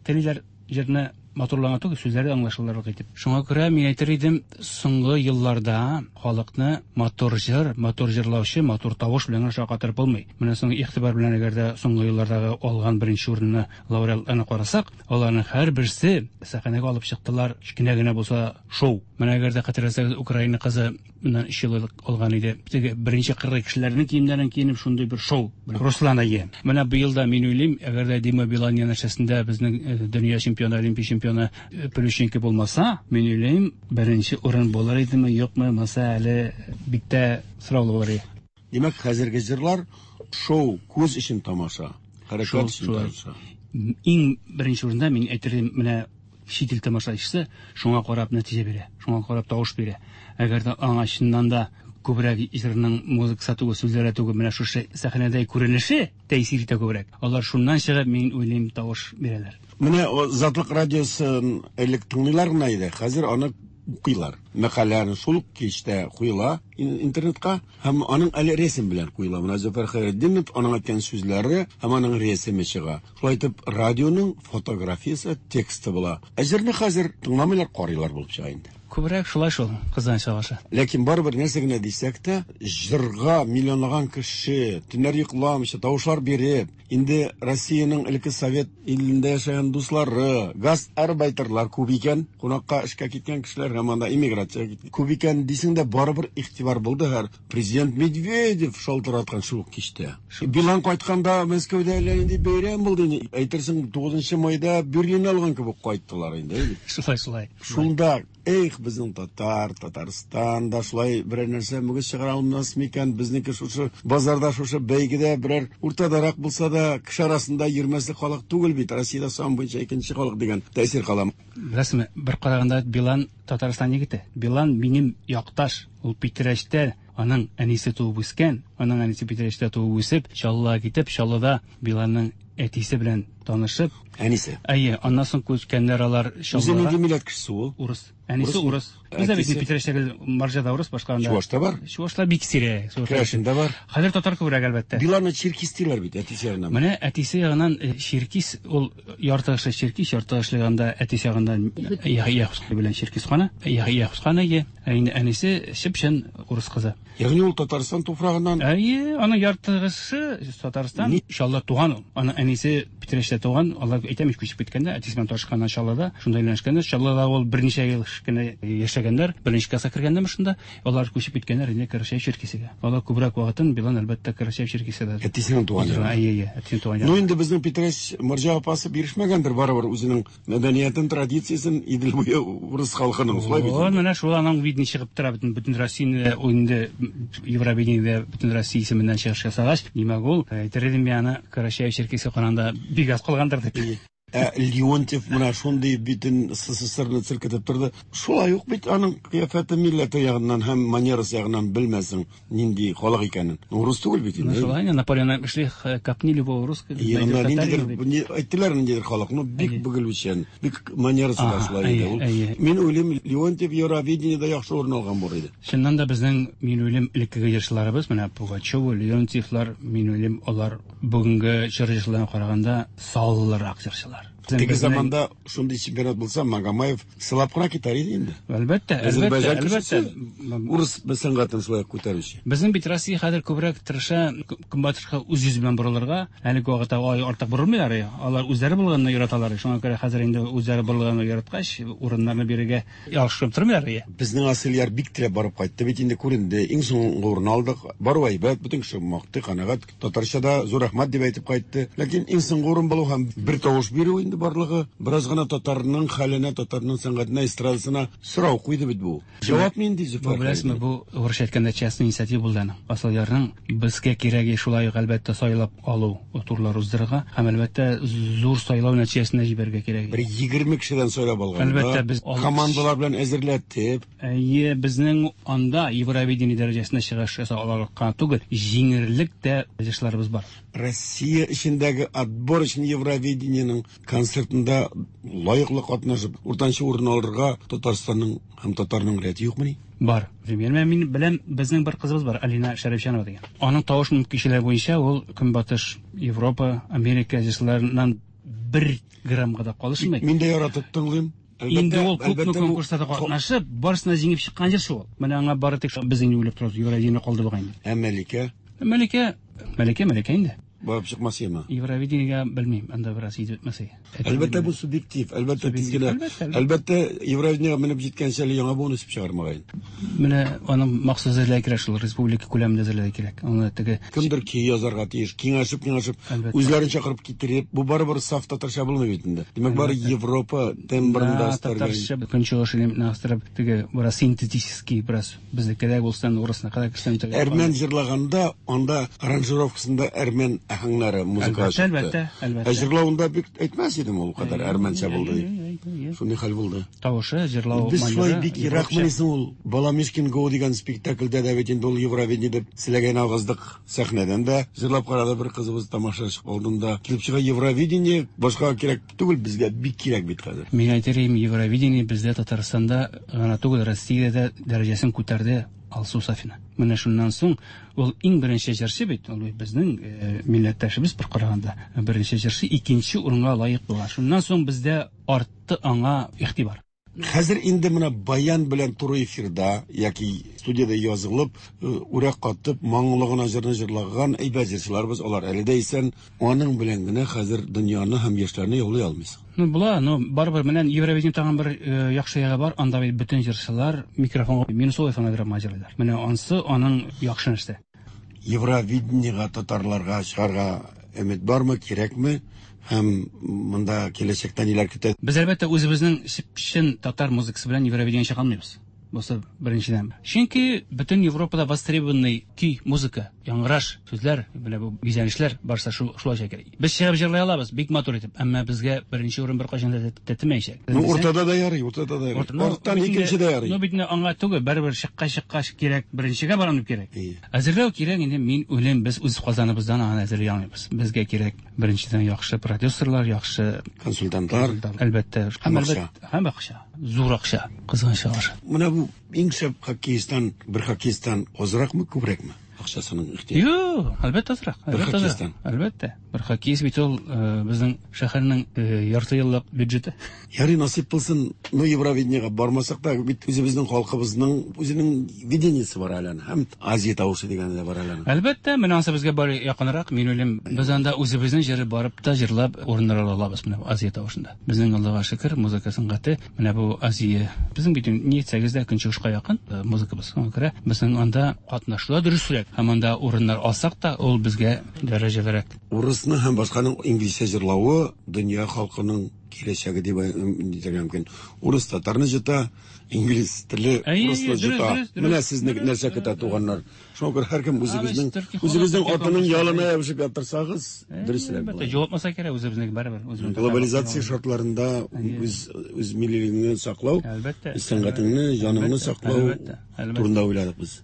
телиләр җырны матурлана түгел, сүзләре аңлашылырлык итеп. Шуңа күрә мин әйтер идем, соңгы елларда халыкны матур җыр, матур җырлаучы, матур тавыш белән генә шаккатырып булмый. Менә соң игътибар белән әгәр дә соңгы еллардагы алган беренче урынны лауреатларны карасак, аларның һәрберсе сәхнәгә алып чыктылар, кечкенә генә булса шоу. Менә әгәр дә хәтерләсәгез, Украина кызы моннан 3 ел элек алган иде. Теге беренче кыргый кешеләрнең киемнәрен киенеп шундый бер шоу. Руслан әйе. Менә быел да мин уйлыйм, әгәр дә Дима Билан янәшәсендә безнең дөнья чемпионы, олимпия чемпионы Плющенко булмаса, мин уйлыйм, беренче урын булыр идеме, юкмы, монысы әле бик тә сораулы булыр иде. Димәк, хәзерге җырлар шоу, күз өчен тамаша, хәрәкәт өчен тамаша. Иң беренче урында мин әйтер идем, менә чит ил тамашачысы шуңа карап нәтиҗә бирә, шуңа карап тавыш бирә. Әгәр дә аңа чыннан да күбрәк җырның музыкасы түгел, сүзләре түгел, менә шушы сәхнәдә күренеше тәэсир итә күбрәк. Алар шуннан чыгып, мин уйлыйм, тавыш бирәләр. Менә Азатлык радиосын элек тыңлыйлар гына иде, хәзер аны укыйлар. Мәкаләне шул ук кичтә куела интернетка һәм аның әле рәсем белән куела. Менә Зөфәр Хәйретдинов, аның әйткән сүзләре һәм аның рәсеме чыга. Шулай итеп, радионың фотографиясе, тексты була. Ә җырны хәзер тыңламыйлар, карыйлар булып чыга инде. Күбрәк шулай шул, кызганычка каршы. Ләкин барыбер нәрсә генә дисәк тә, җырга миллионлаган кеше төннәр йокламыйча тавышлар биреп, инде Россиянең элекке совет илендә яшәгән дуслары, гастарбайтерлар күп икән, кунакка эшкә киткән кешеләр һәм анда иммиграциягә киткән күп икән дисең дә, барыбер игътибар булды һәр президент Медведев шалтыраткан шул ук кичтә. Билан кайтканда Мәскәүдә әллә нинди бәйрәм булды инде. Әйтерсең, 9 майда Берлинны алган кебек кайттылар инде. Шулай, шулай. Шунда, эх, безнең татар, Татарстан да шулай берәр нәрсә мөгез чыгара алмас микән? Безнеке шушы базарда, шушы бәйгедә берәр уртадарак булса да, кеше арасында йөрмәслек халык түгел бит. Россиядә сан буенча икенче халык дигән тәэсир кала. Беләсезме, бер караганда Билан Татарстан егете. Билан минем якташ. Ул Питрәчтә, аның әнисе туып үскән, аның әнисе Питрәчтә туып үсеп, Чаллыга китеп, Чаллыда Биланның әтисе белән танышып. Әнисе. Әйе, аннан соң күчкәннәр алар Чаллыга. Үзе нинди милләт кешесе ул? Урыс. Әнисе урыс. Бездә бит Питрәчтәге марҗада урыс, башка анда. Чувашта бар? Чувашлар бик сирәк. Керәшендә бар. Хәзер татар күбрәк, әлбәттә. Биланны чиркис диләр бит, әтисе ягыннан. Менә әтисе ягыннан чиркис, ул ярты кеше чиркис, ярты кеше ягында әтисе ягыннан Яхус белән чиркис каны, Яхус каны, ә инде әнисе чып-чын урыс кызы. Ягъни ул Татарстан туфрагыннан? Әйе, аның яртыгысы Татарстан, Чаллыда туган ул. Аның әнисе Питрәчтә туган, алар әйтәм ич, күчеп киткәндә, әтисе белән танышканнар Чаллыда, шунда өйләнешкәннәр. Чаллыда ул берничә ел кенә яшәгәннәр, беренче класска кергәндәме шунда, алар күчеп киткәннәр инде Карачаево-Черкесиягә. Алар күбрәк вакытын Билан, әлбәттә, Карачаево-Черкесиядә. Әтисенең туган ягы. Әйе, әйе, әтисенең туган ягы. Ну инде безнең Питрәч морҗа апасы бирешмәгәндер барыбер үзенең мәдәниятен, традициясен Идел буе урыс халкының, шулай бит? Вот менә шул аның видно чыгып тора бөтен бөтен Россияне инде Евровидениедә бөтен Россия исеменнән чыгыш ясагач, димәк ул, әйтер идем мин аны Карачаево-Черкесия караганда бик аз калгандыр дип. Ә Леонтьев менә шундый битен СССРны селкетеп торды. Шулай ук бит аның кыяфәте милләте ягыннан һәм манерасы ягыннан белмәсең нинди халык икәнен. Урыс түгел бит инде. Ну шулай инде, Наполеон әйтмешли, копни любого русского. Янында ниндидер, әйттеләр ниндидер халык, ну бик бөгелүчән, бик манерасы да шулай иде ул. Мин уйлыйм, Леонтьев Евровидениедә яхшы урын алган булыр иде. Чыннан да безнең, мин уйлыйм, элеккеге җырчыларыбыз, менә Пугачева, Леонтьевлар, мин уйлыйм, алар бүгенге чор җырчыларына караганда саллырак җырчылар. Теге заманда шундый чемпионат булса, Магомаев сылап кына китәр иде инде. Әлбәттә, әлбәттә, әлбәттә. Урыс сәнгатен шулай күтәрүче. Безнең бит Россия хәзер күбрәк тырыша көнбатышка үз йөзе белән борылырга. Әлеге вакытта алай артык борылмыйлар. Алар үзләре булганны яраталар. Шуңа күрә хәзер инде үзләре борылганны яраткач, урыннарны бирергә ялгышып тормыйлар. Безнең Асылъяр бик теләп барып кайтты бит инде, күренде. Иң соңгы урын алдык. Бару әйбәт, бөтен кеше мактый, канәгать. Татарча да зур рәхмәт дип әйтеп кайтты. Ләкин иң соңгы урын булу һәм бер тавыш бирү инде барлыгы бераз гына татарның хәленә, татарның сәнгатенә, эстрадасына сорау куйды бит бу. Җавап нинди, Зөфәр? Бу беләсезме, бу урысча әйткәндә частный инициатива булды аның. Асылъярның безгә кирәге шулай ук әлбәттә сайлап алу турлар уздырырга һәм әлбәттә зур сайлау нәтиҗәсенә җибәрергә кирәк. Бер 20 кешедән сайлап алганда, әлбәттә, без командалар белән әзерләтеп, Әйе, безнең анда Евровидение дәрәҗәсендә чыгыш ясау аларлык кына түгел, җиңерлек тә җырчыларыбыз бар. Россия эчендәге отбор өчен Евровидениенең концертында лаеклы катнашып, уртанчы урын алырга Татарстанның һәм татарның рәте юкмыни? Бар. Менә мин беләм, безнең бер кызыбыз бар, Алина Шәрипҗанова дигән. Аның тавыш мөмкинчелеге буенча ул Көнбатыш Европа, Америка җырчыларыннан бер граммга да калышмый. Мин дә яратып тыңлыйм. Инде ул күпме конкурсларда катнашып, барысына җиңеп чыккан җырчы ул. Менә аңа бары тик без инде уйлап торабыз, Евровидение калды бугай инде. Ә Мәликә? Мәликә, Мәликә, Мәликә инде. Барып чыкмас яме. Евровидениегә белмим, анда бераз итеп бетмәс. Әлбәттә, бу субъектив, әлбәттә, тиз генә. Әлбәттә, Евровидениегә менеп җиткәнче әле яңа буын үсеп чыгар мөгаен. Менә аның махсус әзерләргә кирәк шул, республика күләмендә әзерләргә кирәк. Аны теге Кемдер көй язарга тиеш, киңәшеп, киңәшеп, үзләрен чакырып китереп, бу барыбер саф татарча булмый бит инде. Димәк, бары Европа тембрында өстәргә. Татарча көнчыгыш элементны астырып, теге бераз синтетический, бераз безнеке дә булсын, урысныкы да керсен. Әрмән җырлаганда, анда аранжировкасында әрмән аһәңнәре музыка чыкты. Әлбәттә, әлбәттә. Ә җырлавында бик әйтмәс идем ул кадәр әрмәнчә булды дип. Шундый хәл булды. Тавышы, җырлау Без шулай бик еракмыни соң ул? Баламишкин Го дигән спектакльдә дә бит инде ул Евровидение дип селәгәйне агыздык сәхнәдән дә. Җырлап карады бер кызыбыз тамашачы алдында. Килеп чыга Евровидение, башкага кирәк түгел, безгә бик кирәк бит хәзер. Мин әйтер идем, Евровидение бездә Татарстанда гына түгел, Россиядә дә дәрәҗәсен күтәрде Алсу Сафина. Менә шуннан соң ул иң беренче җырчы бит, ул бит безнең милләттәшебез бер караганда, беренче җырчы икенче урынга лаек була. Шуннан соң бездә артты аңа игътибар. Хәзер инде менә баян белән туры эфирда яки студиядә язылып, үрә катып, моңлы гына җырны җырлаган әйбәт җырчыларыбыз, алар әле дә исән. Аның белән генә хәзер дөньяны һәм яшьләрне яулый алмыйсың. Ну, була, но барыбер менә Евровидение тагын бер яхшы ягы бар, анда бит бөтен җырчылар микрофонга минусовый фонограмма җырлыйлар. Менә ансы аның яхшы нәрсә. Евровидениега татарларга чыгарга өмет бармы, кирәкме? Һәм монда киләчәктә ниләр көтә? Без әлбәттә үзебезнең чын татар музыкасы белән Евровидениега чыга алмыйбыз. Бусы беренчедән. Чөнки бөтен Европада востребованный көй, музыка, яңгыраш, сүзләр, менә бу бизәнешләр барса шулай чыга кирәк. Без чыгып җырлый алабыз, бик матур итеп, әмма безгә беренче урын беркайчан да тәтемәячәк. Ну, уртада да ярый, уртада да ярый. Арттан икенче дә ярый. Ну, бит инде аңа түгел, барыбер чыккач кирәк, беренчегә барам дип кирәк. Әзерләү кирәк инде, мин уйлыйм, без үз казаныбыздан аны әзерли алмыйбыз. Безгә кирәк беренчедән яхшы продюсерлар, яхшы консультантлар, әлбәттә, һәм акча. Һәм акча, зур акча, кызганычка каршы. Менә бу иң шәп хоккеисттан, бер хоккеисттан азракмы, күбрәкме? Акчасының ихтыяҗы. Юк, әлбәттә азрак. Бер хоккеисттан. Әлбәттә. Бер хоккеист бит ул безнең шәһәрнең ярты еллык бюджеты. Ярый, насыйп булсын, ну Евровидениега бармасак та, бит үзебезнең халкыбызның үзенең видениесе бар әле аның. Һәм Азия тавышы дигәне дә бар әле аның. Әлбәттә, менә ансы безгә бар якынрак, мин уйлыйм, без анда үзебезнең җыры барып та җырлап урыннар ала алабыз менә Азия тавышында. Безнең Аллага шөкер, музыка сәнгате менә бу Азия. Безнең бит ни әйтсәгез дә көнчыгышка якын музыкабыз. Шуңа күрә безнең анда катнашу да дөресрәк. Һәм анда урыннар алсак та, ул безгә дәрәҗәлерәк. Урысны һәм башканың инглизчә җырлавы дөнья халкының киләчәге дип әйтергә мөмкин. Урыс татарны җыта, инглиз теле урысны җыта. Менә сезне нәрсә көтә, туганнар. Шуңа күрә һәркем үзегезнең үзегезнең атының ялына ябышып яттырсагыз, дөресрәк була. Җавапмаса кирәк үзебезнең барыбер. Глобализация шартларында үз үз миллилегеңне саклау, сәнгатеңне, җаныңны саклау турында уйладык без.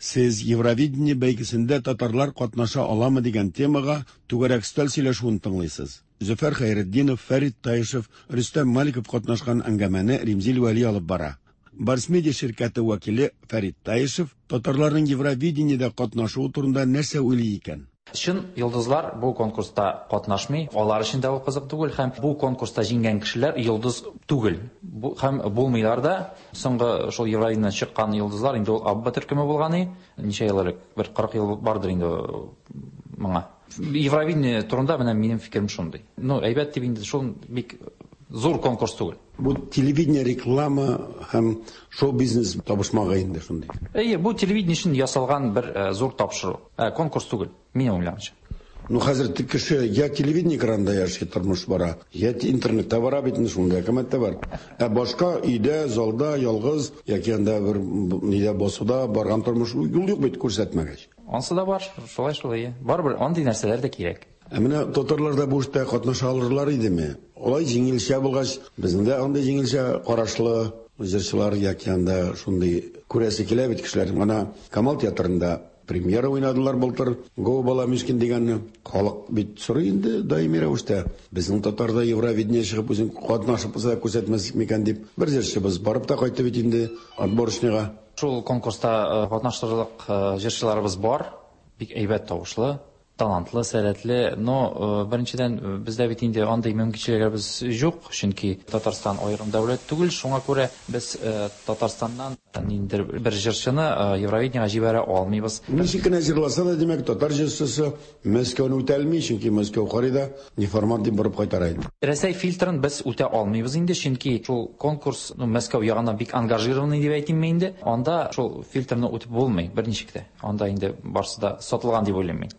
Сез Евровидение бәйгесендә татарлар катнаша аламы дигән темага түгәрәк өстәл сөйләшүен тыңлыйсыз. Зөфәр Хәйретдинов, Фәрит Таишев, Рөстәм Маликов катнашкан әңгәмәне Римзил Вәли алып бара. Барс Медиа ширкәте вәкиле Фәрит Таишев татарларның Евровидениедә катнашуы турында нәрсә уйлый икән? Чын йолдызлар бу конкурста катнашмый, алар өчен дә ул кызык түгел һәм бу конкурста җиңгән кешеләр йолдыз түгел. Бу һәм булмыйлар да. Соңгы шул Евровидениедән чыккан йолдызлар инде ул Абба төркеме булган и, ничә ел элек, бер 40 ел бардыр инде моңа. Евровидение турында менә минем фикерем шундый. Ну, әйбәт дип инде шул бик зур конкурс түгел. Бу телевидение, реклама һәм шоу-бизнес табышмагы инде шундый. Әйе, бу телевидение өчен ясалган бер зур тапшыру. Конкурс түгел, минем уйлавымча. Ну, хәзер кеше я телевидение экранында яши, тормыш бара, я интернетта бара бит инде, шундый әкәмәт тә бар. Ә башка өйдә, залда ялгыз яки анда бер нидә басуда барган тормыш юл юк бит күрсәтмәгәч. Ансы да бар, шулай шулай. Барыбер андый нәрсәләр дә кирәк. Ә менә татарлар да бу эштә катнаша алырлар идеме? Алай җиңелчә булгач, безнең дә андый җиңелчә карашлы җырчылар яки анда шундый күрәсе килә бит кешеләр. Менә Камал театрында премьера уйнадылар былтыр, Го бала мискин дигәнне. Халык бит сорый инде даими рәвештә. Безнең татарда Евровидение чыгып үзен катнашып булса да күрсәтмәс микән дип. Бер җырчыбыз барып та кайтты бит инде отборочныйга. Шул конкурста катнаштырырлык җырчыларыбыз бар. Бик әйбәт тавышлы, талантлы, сәләтле. Но, беренчедән, бездә бит инде андый мөмкинчелекләребез юк, чөнки Татарстан аерым дәүләт түгел, шуңа күрә без Татарстаннан ниндидер бер җырчыны Евровидениега җибәрә алмыйбыз. Ничек кенә җырласа да, димәк, татар җырчысы Мәскәүне үтә алмый, чөнки Мәскәү карый да, неформат дип борып кайтара инде. Рәсәй фильтрын без үтә алмыйбыз инде, чөнки шул конкурс, ну, Мәскәү ягыннан бик ангажированный дип әйтимме инде, анда шул фильтрны үтеп булмый берничек тә. Анда инде барсы да сатылган дип уйлыйм мин.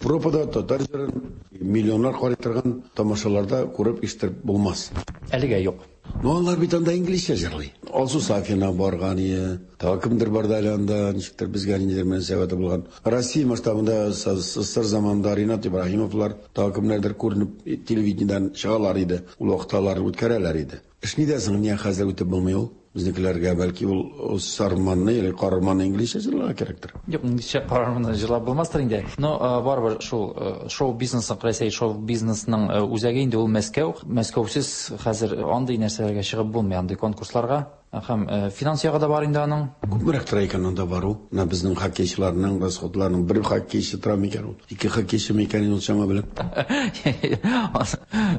Европада татар җырын миллионнар карый торган тамашаларда күреп ишеттереп булмас. Әлегә юк. Ну, алар бит анда инглизчә җырлый. Алсу Сафина барган ие, тагы кемдер барды әле анда, ничектер безгә ниндидер мөнәсәбәте булган. Россия масштабында СССР заманында Ринат Ибраһимовлар, тагы кемнәрдер күренеп телевидениедән чыгалар иде. Ул вакытта алар үткәрәләр иде. Эш нидә соң, ниә хәзер үтеп булмый ул? Безнекеләргә бәлки ул сарманны или карарманны инглизчә җырларга кирәктер. Юк, инглизчә карарманны җырлап булмастыр инде. Но барыбер шул шоу-бизнесның, Рәсәй шоу-бизнесның үзәге инде ул Мәскәү. Мәскәүсез хәзер андый нәрсәләргә чыгып булмый, андый конкурсларга. Һәм финанс ягы да бар инде аның. Күпмерәк тора икән анда бару? Менә безнең хоккейчыларның расходларының бер хоккейчы тора микән ул? Ике хоккейчы микән ул чама белән?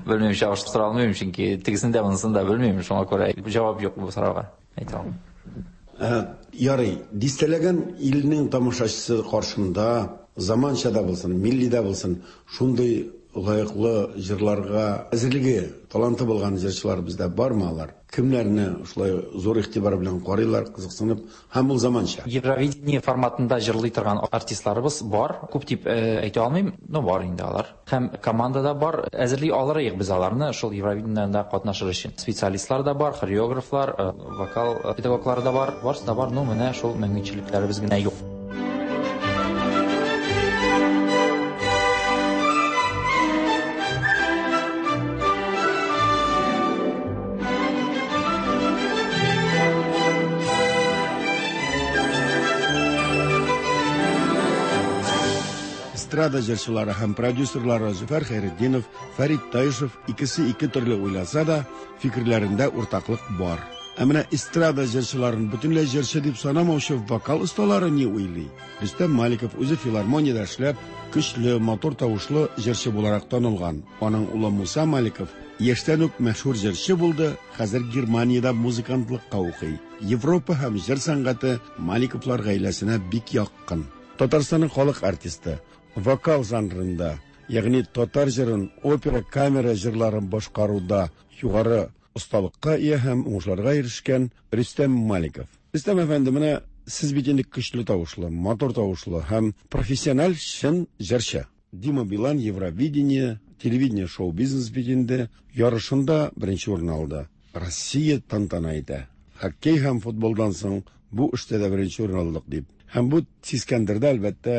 Белмим, чагыштыра алмыйм, чөнки тегесен дә, монысын да белмим, шуңа күрә җавап юк бу сорауга. Әйтә алмыйм. Ярый, дистәләгән илнең тамашачысы каршында заманча да булсын, милли дә булсын, шундый лаеклы җырларга әзерлеге, таланты булган җырчылар бездә бармы алар? Кемнәрне шулай зур игътибар белән карыйлар, кызыксынып, һәм ул заманча? Евровидение форматында җырлый торган артистларыбыз бар. Күп дип әйтә алмыйм, но бар инде алар. Һәм команда да бар. Әзерли алырыек без аларны шул Евровидениедә катнашыр өчен. Специалистлар да бар, хореографлар, вокал педагоглары да бар. Барысы да бар, но менә шул мөмкинчелекләребез генә юк. Эстрада җырчылары һәм продюсерлары Зөфәр Хәйретдинов, Фәрит Таишев икесе ике төрле уйласа да, фикерләрендә уртаклык бар. Ә менә эстрада җырчыларын бөтенләй җырчы дип санамаучы вокал осталары ни уйлый? Рөстәм Маликов үзе филармониядә эшләп, көчле, матур тавышлы җырчы буларак танылган. Аның улы Муса Маликов яшьтән үк мәшһүр җырчы булды, хәзер Германиядә музыкантлыкка укый. Европа һәм җыр сәнгате Маликовлар гаиләсенә бик якын. Татарстанның халык артисты, вокал жанрында, ягъни татар җырын, опера, камера җырларын башкаруда югары осталыкка ия һәм уңышларга ирешкән Рөстәм Маликов. Рөстәм әфәнде, менә сез бит инде көчле тавышлы, матур тавышлы һәм профессиональ чын җырчы. Дима Билан Евровидение, телевидение шоу-бизнес бит инде ярышында беренче урын алды. Россия тантана итә. Хоккей һәм футболдан соң бу эштә дә беренче урын алдык дип. Һәм бу сискәндерде, әлбәттә,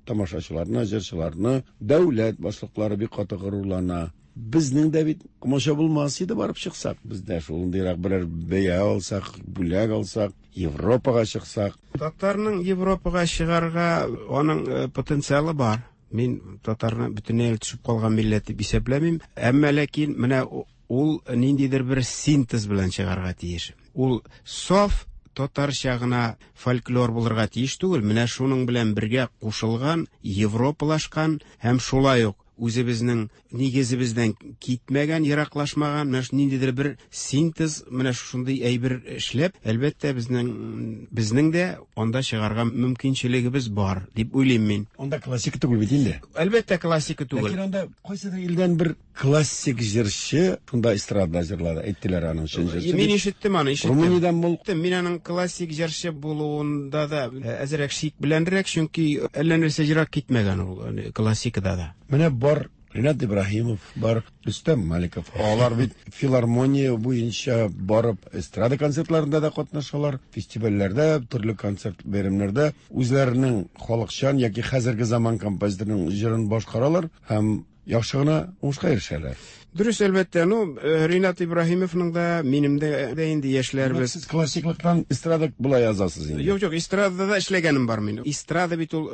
тамашачыларны, җырчыларны. Дәүләт башлыклары бик каты горурлана. Безнең дә бит комачау булмас иде барып чыксак. Без дә шундыйрак берәр бәя алсак, бүләк алсак, Европага чыксак. Татарның Европага чыгарга аның потенциалы бар. Мин татарны бөтенләй төшеп калган милләт дип исәпләмим. Әмма ләкин менә ул ниндидер бер синтез белән чыгарга тиеш. Ул саф татарча гына фольклор булырга тиеш түгел. Менә шуның белән бергә кушылган, европалашкан һәм шулай ук үзебезнең нигезебездән китмәгән, ераклашмаган, менә ниндидер бер синтез, менә шундый әйбер эшләп, әлбәттә, безнең дә анда чыгарга мөмкинчелегебез бар, дип уйлыйм мин. Анда классика түгел бит инде. Әлбәттә, классика түгел. Ләкин анда кайсыдыр илдән бер классик җырчы шунда эстрадада җырлады, әйттеләр аның чын җырчы. Мин ишеттем аны, ишеттем. Румыниядән бул. Мин аның классик җырчы булуында да әзрәк шик беләнрәк, чөнки әллә нәрсә ерак китмәгән ул классикада да. Менә бар Ринат Ибраһимов, бар Рөстәм Маликов. Алар бит филармония буенча барып эстрада концертларында да катнашалар, фестивальләрдә, төрле концерт бәйрәмнәрдә үзләренең халыкчан яки хәзерге заман композиторының җырын башкаралар һәм яхшы гына уңышка ирешәләр. Дөрес, әлбәттә. Ну, Ринат Ибраһимовның да, минем дә инде яшьләрбез. Сез классиклыктан эстрада болай язасыз инде. Юк, юк, эстрадада да эшләгәнем бар минем. Эстрада бит ул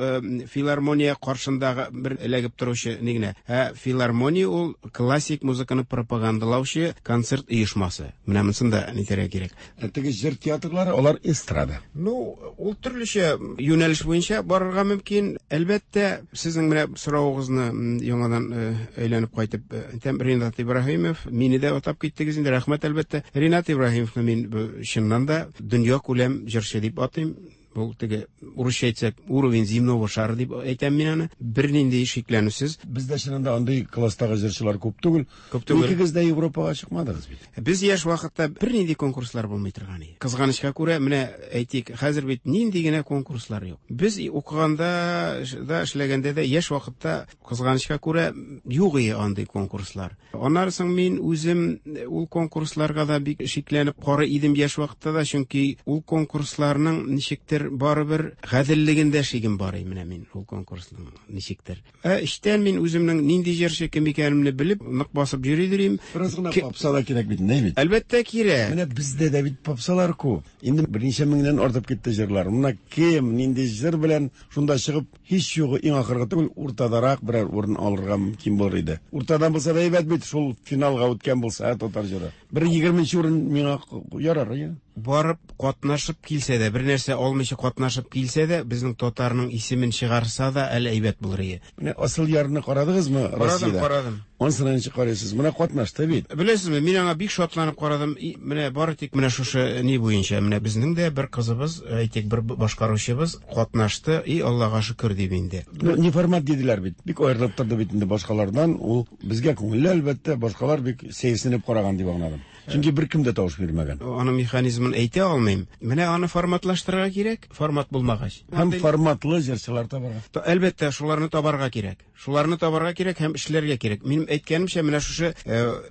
филармония каршындагы бер эләгеп торучы ни генә. Ә филармония ул классик музыканы пропагандалаучы концерт оешмасы. Менә монысын да нитәргә кирәк. Ә теге җыр театрлары, алар эстрада. Ну, ул төрлечә юнәлеш буенча барырга мөмкин. Әлбәттә, сезнең менә соравыгызны яңадан әйләнеп кайтып әйтәм, Ринат Ибраһимов, мине дә атап киттегез инде, рәхмәт әлбәттә. Ринат Ибраһимовны мин чыннан да дөнья күләм җырчы дип атыйм. Бу теге урысча әйтсәк, уровень земного шара дип әйтәм мин аны. Бернинди шикләнүсез. Бездә чыннан да андый класстагы җырчылар күп түгел. Күп түгел. Икегез дә Европага чыкмадыгыз бит. Без яшь вакытта бернинди конкурслар булмый торган иде. Кызганычка күрә, менә әйтик, хәзер бит нинди генә конкурслар юк. Без укыганда да, эшләгәндә дә яшь вакытта кызганычка күрә юк иде андый конкурслар. Аннары соң мин үзем ул конкурсларга да бик шикләнеп карый идем яшь вакытта да, чөнки ул конкурсларның ничектер барыбер гаделлегендә шигем бар иде менә мин ул конкурсның ничектер. Ә эчтән мин үземнең нинди җырчы кем икәнемне белеп, нык басып йөри идем. Бераз гына попса да кирәк бит, не бит? Әлбәттә кирәк. Менә бездә дә бит попсалар күп. Инде берничә меңнән артып китте җырлар. Менә кем нинди җыр белән шунда чыгып, һич югы иң ахыргы түгел, уртадарак берәр урын алырга мөмкин булыр иде. Уртадан булса да әйбәт бит, шул финалга үткән булса, татар җыры. Бер 20 урын миңа ярар, я. Барып катнашып килсә дә, бер нәрсә алмыйча катнашып килсә дә, безнең татарның исемен чыгарса да әле әйбәт булыр иде. Менә Асыл ярны карадыгызмы Россиядә? Карадым, карадым. Анысына ничек карыйсыз? Менә катнашты бит. Беләсезме, мин аңа бик шатланып карадым. Менә бары тик менә шушы ни буенча, менә безнең дә бер кызыбыз, әйтик, бер башкаручыбыз катнашты, и Аллага шөкер дип инде. Ну, не формат диделәр бит. Бик аерылып торды бит инде башкалардан. Ул безгә күңелле, әлбәттә, башкалар бик сәерсенеп караган дип аңладым. Чөнки беркем дә тавыш бирмәгән. Аның механизмын әйтә алмыйм. Менә аны форматлаштырырга кирәк, формат булмагач. Һәм форматлы җырчылар табарга. Әлбәттә, шуларны табарга кирәк. Шуларны табарга кирәк һәм эшләргә кирәк. Минем әйткәнемчә, менә шушы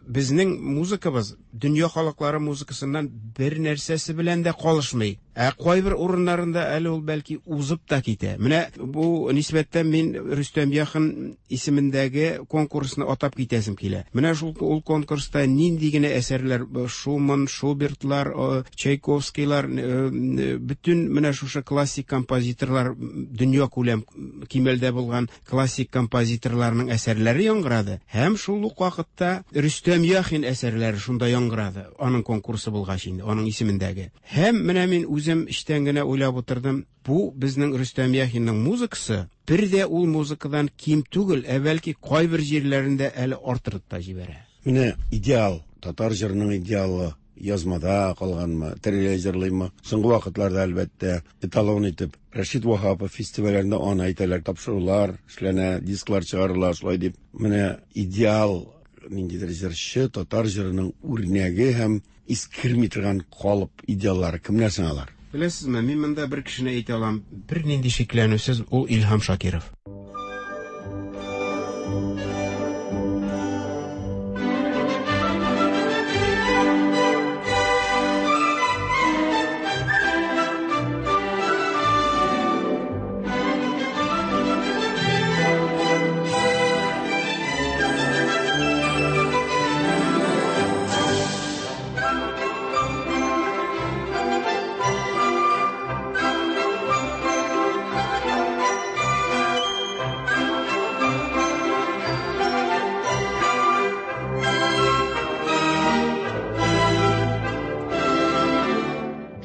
безнең музыкабыз дөнья халыклары музыкасыннан бер нәрсәсе белән дә калышмый. Ә кайбер урыннарында әле ул бәлки узып та китә. Менә бу нисбәттән мин Рөстәм Яхин исемендәге конкурсны атап китәсем килә. Менә шул ул конкурста нинди генә әсәрләр, Шуман, Шубертлар, Чайковскийлар, бөтен менә шушы классик композиторлар, дөнья күләм кимәлдә булган классик композиторларның әсәрләре яңгырады. Һәм шул ук вакытта Рөстәм Яхин әсәрләре шунда яңгырады. Аның конкурсы булгач инде, аның исемендәге. Һәм менә мин үзем эчтән генә уйлап утырдым, бу безнең Рөстәм Яхинның музыкасы бер дә ул музыкадан ким түгел, ә бәлки кайбер җирләрендә әле артырып та җибәрә. Менә идеал, татар җырының идеалы язмада калганмы, тереләй җырлыймы? Соңгы вакытларда әлбәттә эталон итеп Рәшит Ваһапов фестивальләрендә аны әйтәләр, тапшырулар эшләнә, дисклар чыгарыла, шулай дип. Менә идеал ниндидер җырчы, татар җырының үрнәге һәм искерми торган калып идеаллары кемнәр соң алар? Беләсезме, мин монда бер кешене әйтә алам, бернинди шикләнүсез, ул Илһам Шакиров.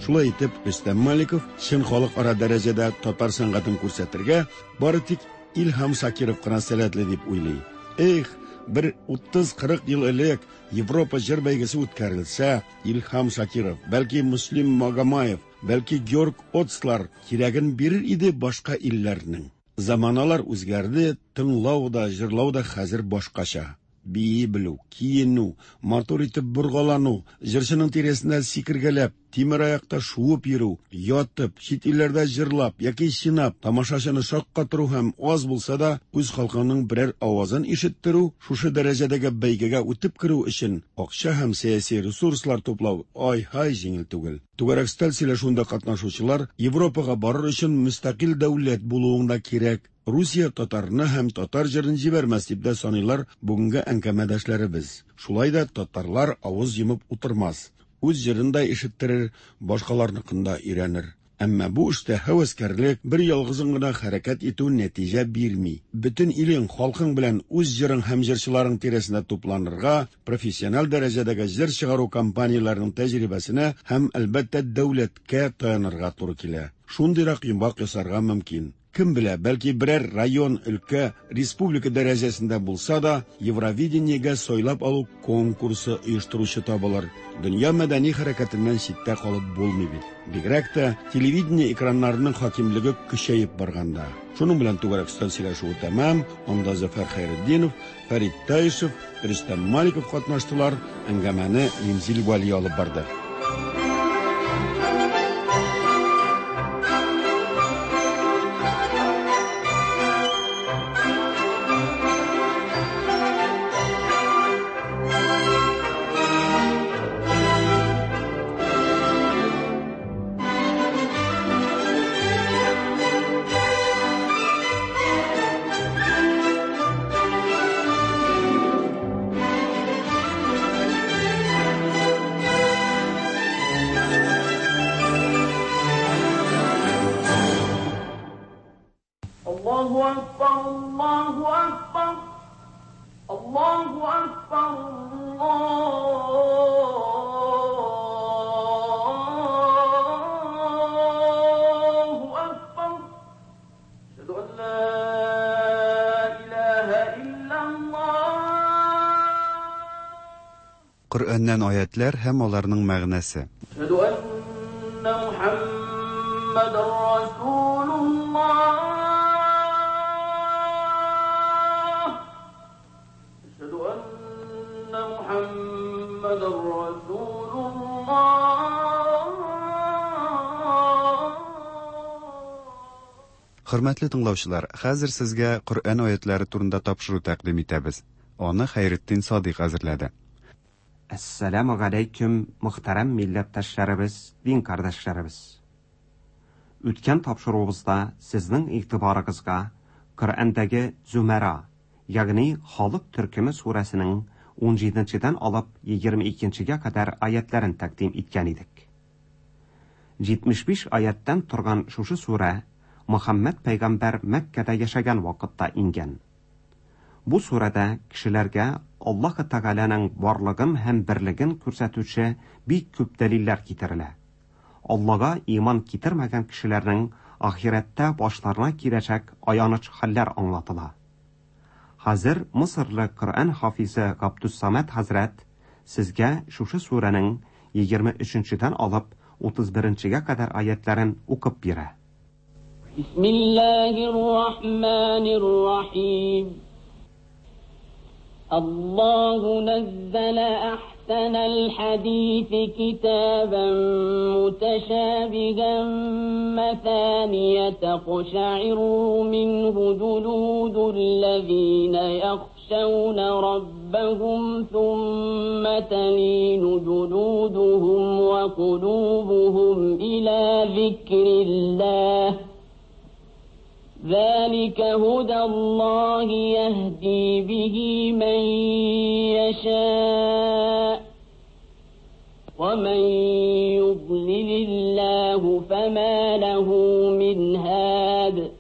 Шулай итеп, Рөстәм Маликов чын халыкара дәрәҗәдә татар сәнгатен күрсәтергә бары тик Илһам Шакиров кына сәләтле дип уйлый. Эх, бер 30-40 ел элек Европа җыр бәйгесе үткәрелсә, Илһам Шакиров, бәлки Муслим Магомаев, бәлки Георг Отслар кирәген бирер иде башка илләрнең. Заманалар үзгәрде, тыңлау да, җырлау да хәзер башкача. Бии белү, киенү, матур итеп боргалану, җырчының тирәсендә сикергәләп, тимер аякта шуып йөрү, ятып, чит илләрдә җырлап яки чинап, тамашачыны шаккатыру һәм аз булса да үз халкыңның берәр авазын ишеттерү, шушы дәрәҗәдәге бәйгегә үтеп керү өчен акча һәм сәяси ресурслар туплау ай-һай җиңел түгел. Түгәрәк өстәл сөйләшүендә катнашучылар Европага барыр өчен мөстәкыйль дәүләт булуың да кирәк, Русия татарны һәм татар җырын җибәрмәс дип тә саныйлар бүгенге әңгәмәдәшләребез. Шулай да татарлар авыз йомып утырмас. Үз җырын да ишеттерер, башкаларныкын да өйрәнер. Әмма бу эштә һәвәскәрлек, бер ялгызың гына хәрәкәт итү нәтиҗә бирми. Бөтен илең, халкың белән үз җырың һәм җырчыларың тирәсендә тупланырга, профессиональ дәрәҗәдәге җыр чыгару компанияләренең тәҗрибәсенә һәм, әлбәттә, дәүләткә таянырга туры килә. Шундыйрак йомгак ясарга мөмкин. Кем белә, бәлки берәр район, өлкә, республика дәрәҗәсендә булса да, Евровидениегә сайлап алу конкурсы оештыручы табылыр. Дөнья мәдәни хәрәкәтеннән читтә калып булмый бит. Бигрәк тә телевидение экраннарының хакимлеге көчәеп барганда. Шуның белән түгәрәк өстәл сөйләшүе тәмам. Анда Зөфәр Хәйретдинов, Фәрит Таишев, Рөстәм Маликов катнаштылар. Әңгәмәне Римзил Вәли алып барды. الله أكبر الله أكبر الله أكبر الله أكبر أشهد أن لا إله إلا الله. Коръәннән аятлар һәм аларның мәгънәсе. أشهد أن محمدا رسول الله. أشهد أن محمدا رسول الله. Хөрмәтле тыңлаучылар, хәзер сезгә Коръән аятлары турында тапшыру тәкъдим итәбез. Аны Хәйретдин Садыйк әзерләде. Әссәламү галәйкүм, мөхтәрәм милләттәшләребез, дин кардәшләребез. Үткән тапшыруыбызда сезнең игътибарыгызга Коръәндәге Зумара, ягъни Халык төркеме сүрәсенең 17-дән алып 22-гә кадәр аятларын тәкъдим иткән идек. 75 аяттан торган шушы сүрә Мөхәммәд пәйгамбәр Мәккәдә яшәгән вакытта иңгән. Бу сүрәдә кешеләргә Аллаһ Тәгаләнең барлыгын һәм берлеген күрсәтүче бик күп дәлилләр китерелә. Аллага иман китермәгән кешеләрнең ахирәттә башларына киләчәк аяныч хәлләр аңлатыла. Хәзер Мысырлы Коръән хафизы Габдус-Самад хәзрәт сезгә шушы сүрәнең 23-дән алып 31-гә кадәр аятларын укып бирә. بسم الله الرحمن الرحيم. الله نزل أحسن الحديث كتابا متشابها مثانية تقشعر منه جلود الذين يخشون ربهم ثم تلين جلودهم وقلوبهم إلى ذكر الله ذلك هدى الله يهدي به من يشاء ومن يضلل الله فما له من هاد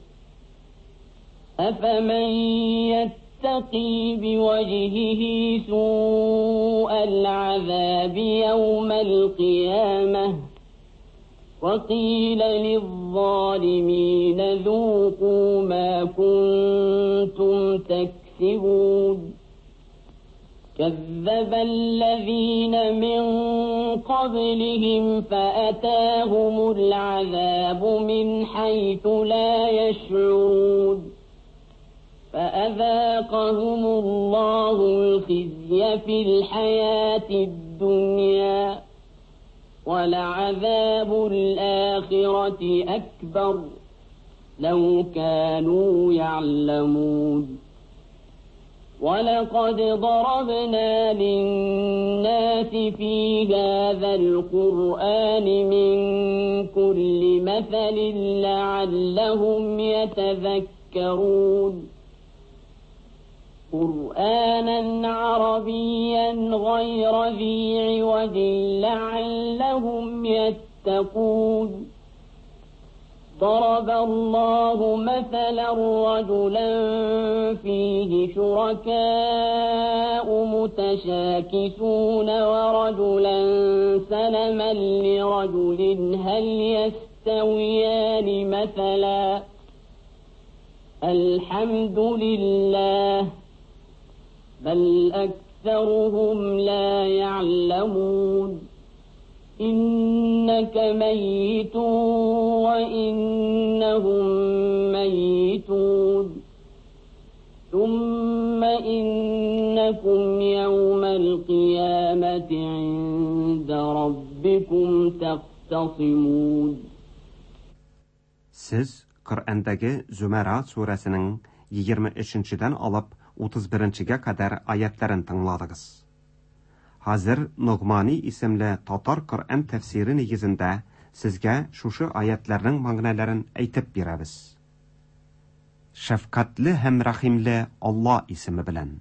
أفمن يتقي بوجهه سوء العذاب يوم القيامة وقيل للظالمين ذوقوا ما كنتم تكسبون كذب الذين من قبلهم فأتاهم العذاب من حيث لا يشعرون فأذاقهم الله الخزي في الحياة الدنيا ولعذاب الآخرة أكبر لو كانوا يعلمون. ولقد ضربنا للناس في هذا القرآن من كل مثل لعلهم يتذكرون. قرآنا عربيا غير ذي عوج لعلهم يتقون. ضرب الله مثلا رجلا فيه شركاء متشاكسون ورجلا سلما لرجل هل يستويان مثلا الحمد لله بل أكثرهم لا يعلمون. إنك ميت وإنهم ميتون ثم إنكم يوم القيامة عند ربكم تختصمون. Siz Коръәндәге Зөмәрә сүрәсенең 23-дән алып 31-гә кадәр аятларын тыңладыгыз. Хәзер Ногмани исемле татар Коръән тәфсире нигезендә сезгә шушы аятларның мәгънәләрен әйтеп бирәбез. Шәфкатьле һәм рәхимле Алла исеме белән.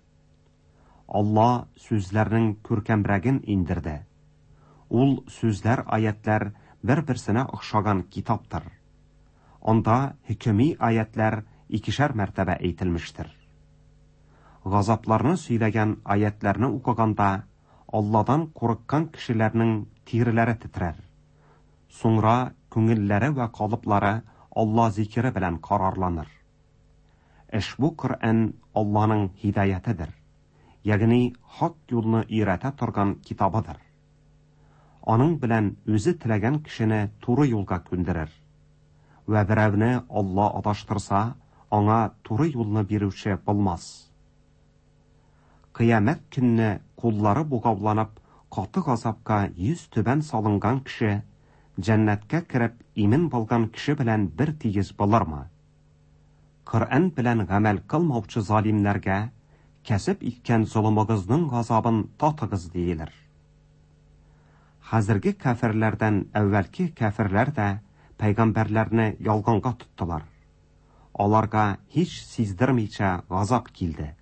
Алла сүзләрнең күркәмрәген индерде. Ул сүзләр аятлар бер-берсенә охшаган китаптыр. Анда хөкеми аятлар икешәр мәртәбә әйтелмештер. Газапларны сөйләгән аятларны укыганда Алладан курыккан кешеләрнең тиреләре тетрәр. Соңра күңелләре вә калыплары Алла зикере белән карарланыр. Ошбу Коръән Алланың һидаятыдыр, ягъни хак юлны өйрәтә торган китабыдыр. Аның белән үзе теләгән кешене туры юлга күндерер. Вә берәүне Алла адаштырса, аңа туры юлны бирүче булмас. Кыямәт көнне куллары бугауланып, каты газапка йөз түбән салынган кеше, җәннәткә кереп имин булган кеше белән бер тигез булырмы? Коръән белән гамәл кылмаучы залимнәргә кәсеп иткән золымыгызның газабын татыгыз диелер. Хәзерге кәферләрдән әүвәлке кәферләр дә пәйгамбәрләрне ялганга тоттылар. Аларга һич сиздермичә газап килде.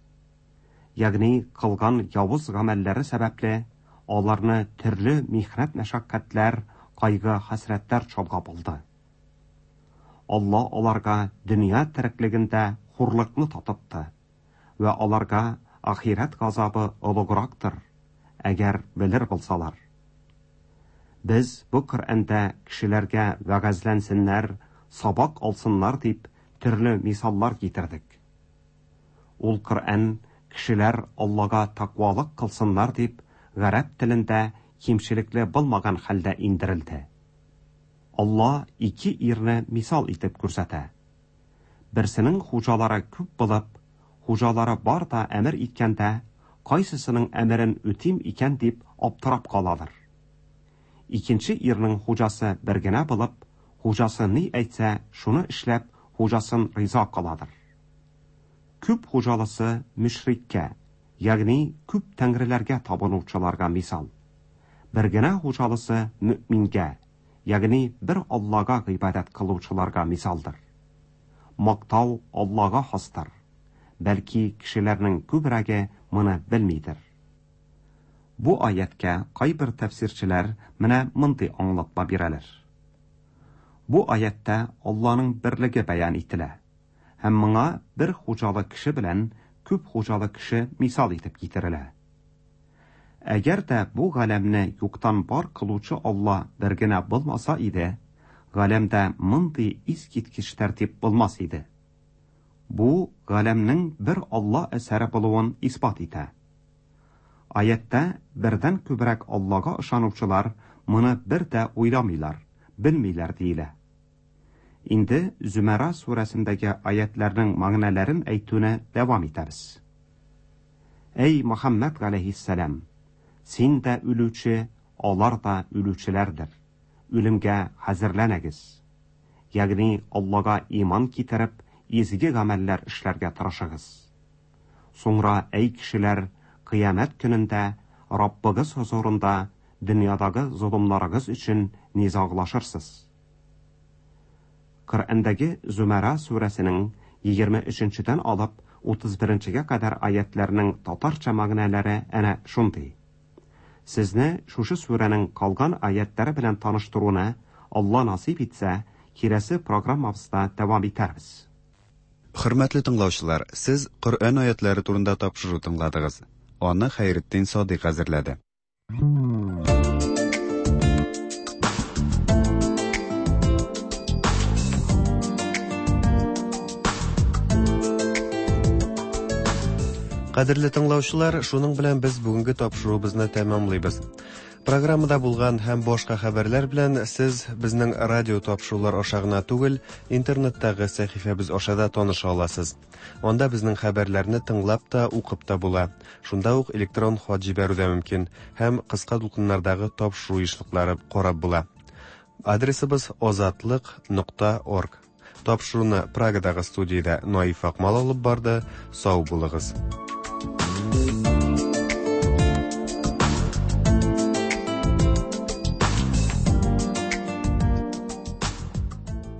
Ягъни кылган явыз гамәлләре сәбәпле аларны төрле михнәт-мәшәкатьләр, кайгы-хәсрәтләр чолгап алды. Алла аларга дөнья тереклегендә хурлыкны татытты вә аларга ахирәт газабы олуграктыр, әгәр белер булсалар. Без бу Коръәндә кешеләргә вәгазьләнсеннәр, сабак алсыннар дип төрле мисаллар китердек. Ул Коръән кешеләр Аллага тәкъвалык кылсыннар дип гарәп телендә кимчелекле булмаган хәлдә индерелде. Алла ике ирне мисал итеп күрсәтә. Берсенең хуҗалары күп булып, хуҗалары бар да әмер иткәндә, кайсысының әмерен үтим икән дип аптырап каладыр. Икенче ирнең хуҗасы бер генә булып, хуҗасы ни әйтсә, шуны эшләп, хуҗасын риза кыладыр. Күп хуҗалысы мөшриккә, ягъни күп тәңреләргә табынучыларга мисал. Бер генә хуҗалысы мөэмингә, ягъни бер Аллага гыйбадәт кылучыларга мисалдыр. Мактау Аллага хастыр. Бәлки кешеләрнең күбрәге моны белмидер. Бу аятькә кайбер тәфсирчеләр менә мондый аңлатма бирәләр. Бу аятьтә Алланың берлеге бәян ителә. Һәм моңа бер хуҗалы кеше белән күп хуҗалы кеше мисал итеп китерелә. Әгәр дә бу галәмне юктан бар кылучы Алла бер генә булмаса иде, галәмдә мондый искиткеч тәртип булмас иде. Бу галәмнең бер Алла әсәре булуын исбат итә. Аятьтә бердән күбрәк Аллага ышанучылар моны бер дә уйламыйлар, белмиләр диелә. Инде Зөмәрә сүрәсендәге аятларның мәгънәләрен әйтүне дәвам итәбез. Әй Мөхәммәд галәйһиссәлам, син дә үлүче, алар да үлүчеләрдер. Үлемгә хәзерләнегез. Ягъни Аллага иман китереп, изге гамәлләр эшләргә тырышыгыз. Соңра, әй кешеләр, кыямәт көнендә Раббыгыз хозурында дөньядагы золымнарыгыз өчен низаглашырсыз. Коръәндәге Зумара сүрәсенең 23-дән алып 31-гә кадәр аятларның татарча мәгънәләре әнә шундый. Сезне шушы сүрәнең калган аятлары белән таныштыруны Алла насыйп итсә, киләсе программабызда дәвам итәрбез. Хөрмәтле тыңлаучылар, сез Коръән аятлары турында тапшыру тыңладыгыз. Аны Хәйретдин Садыйк әзерләде. Кадерле тыңлаучылар, шуның белән без бүгенге тапшыруыбызны тәмамлыйбыз. Программада булган һәм башка хәбәрләр белән сез безнең радио тапшырулар аша гына түгел, интернеттагы сәхифәбез аша да таныша аласыз. Анда безнең хәбәрләрне тыңлап та, укып та була. Шунда ук электрон хат җибәрү дә мөмкин һәм кыска дулкыннардагы тапшыру ешлыклары карап була. Адресыбыз озатлык.орг. Тапшыруны Прагадагы студиядә Наиф Акмал алып барды. Сау булыгыз.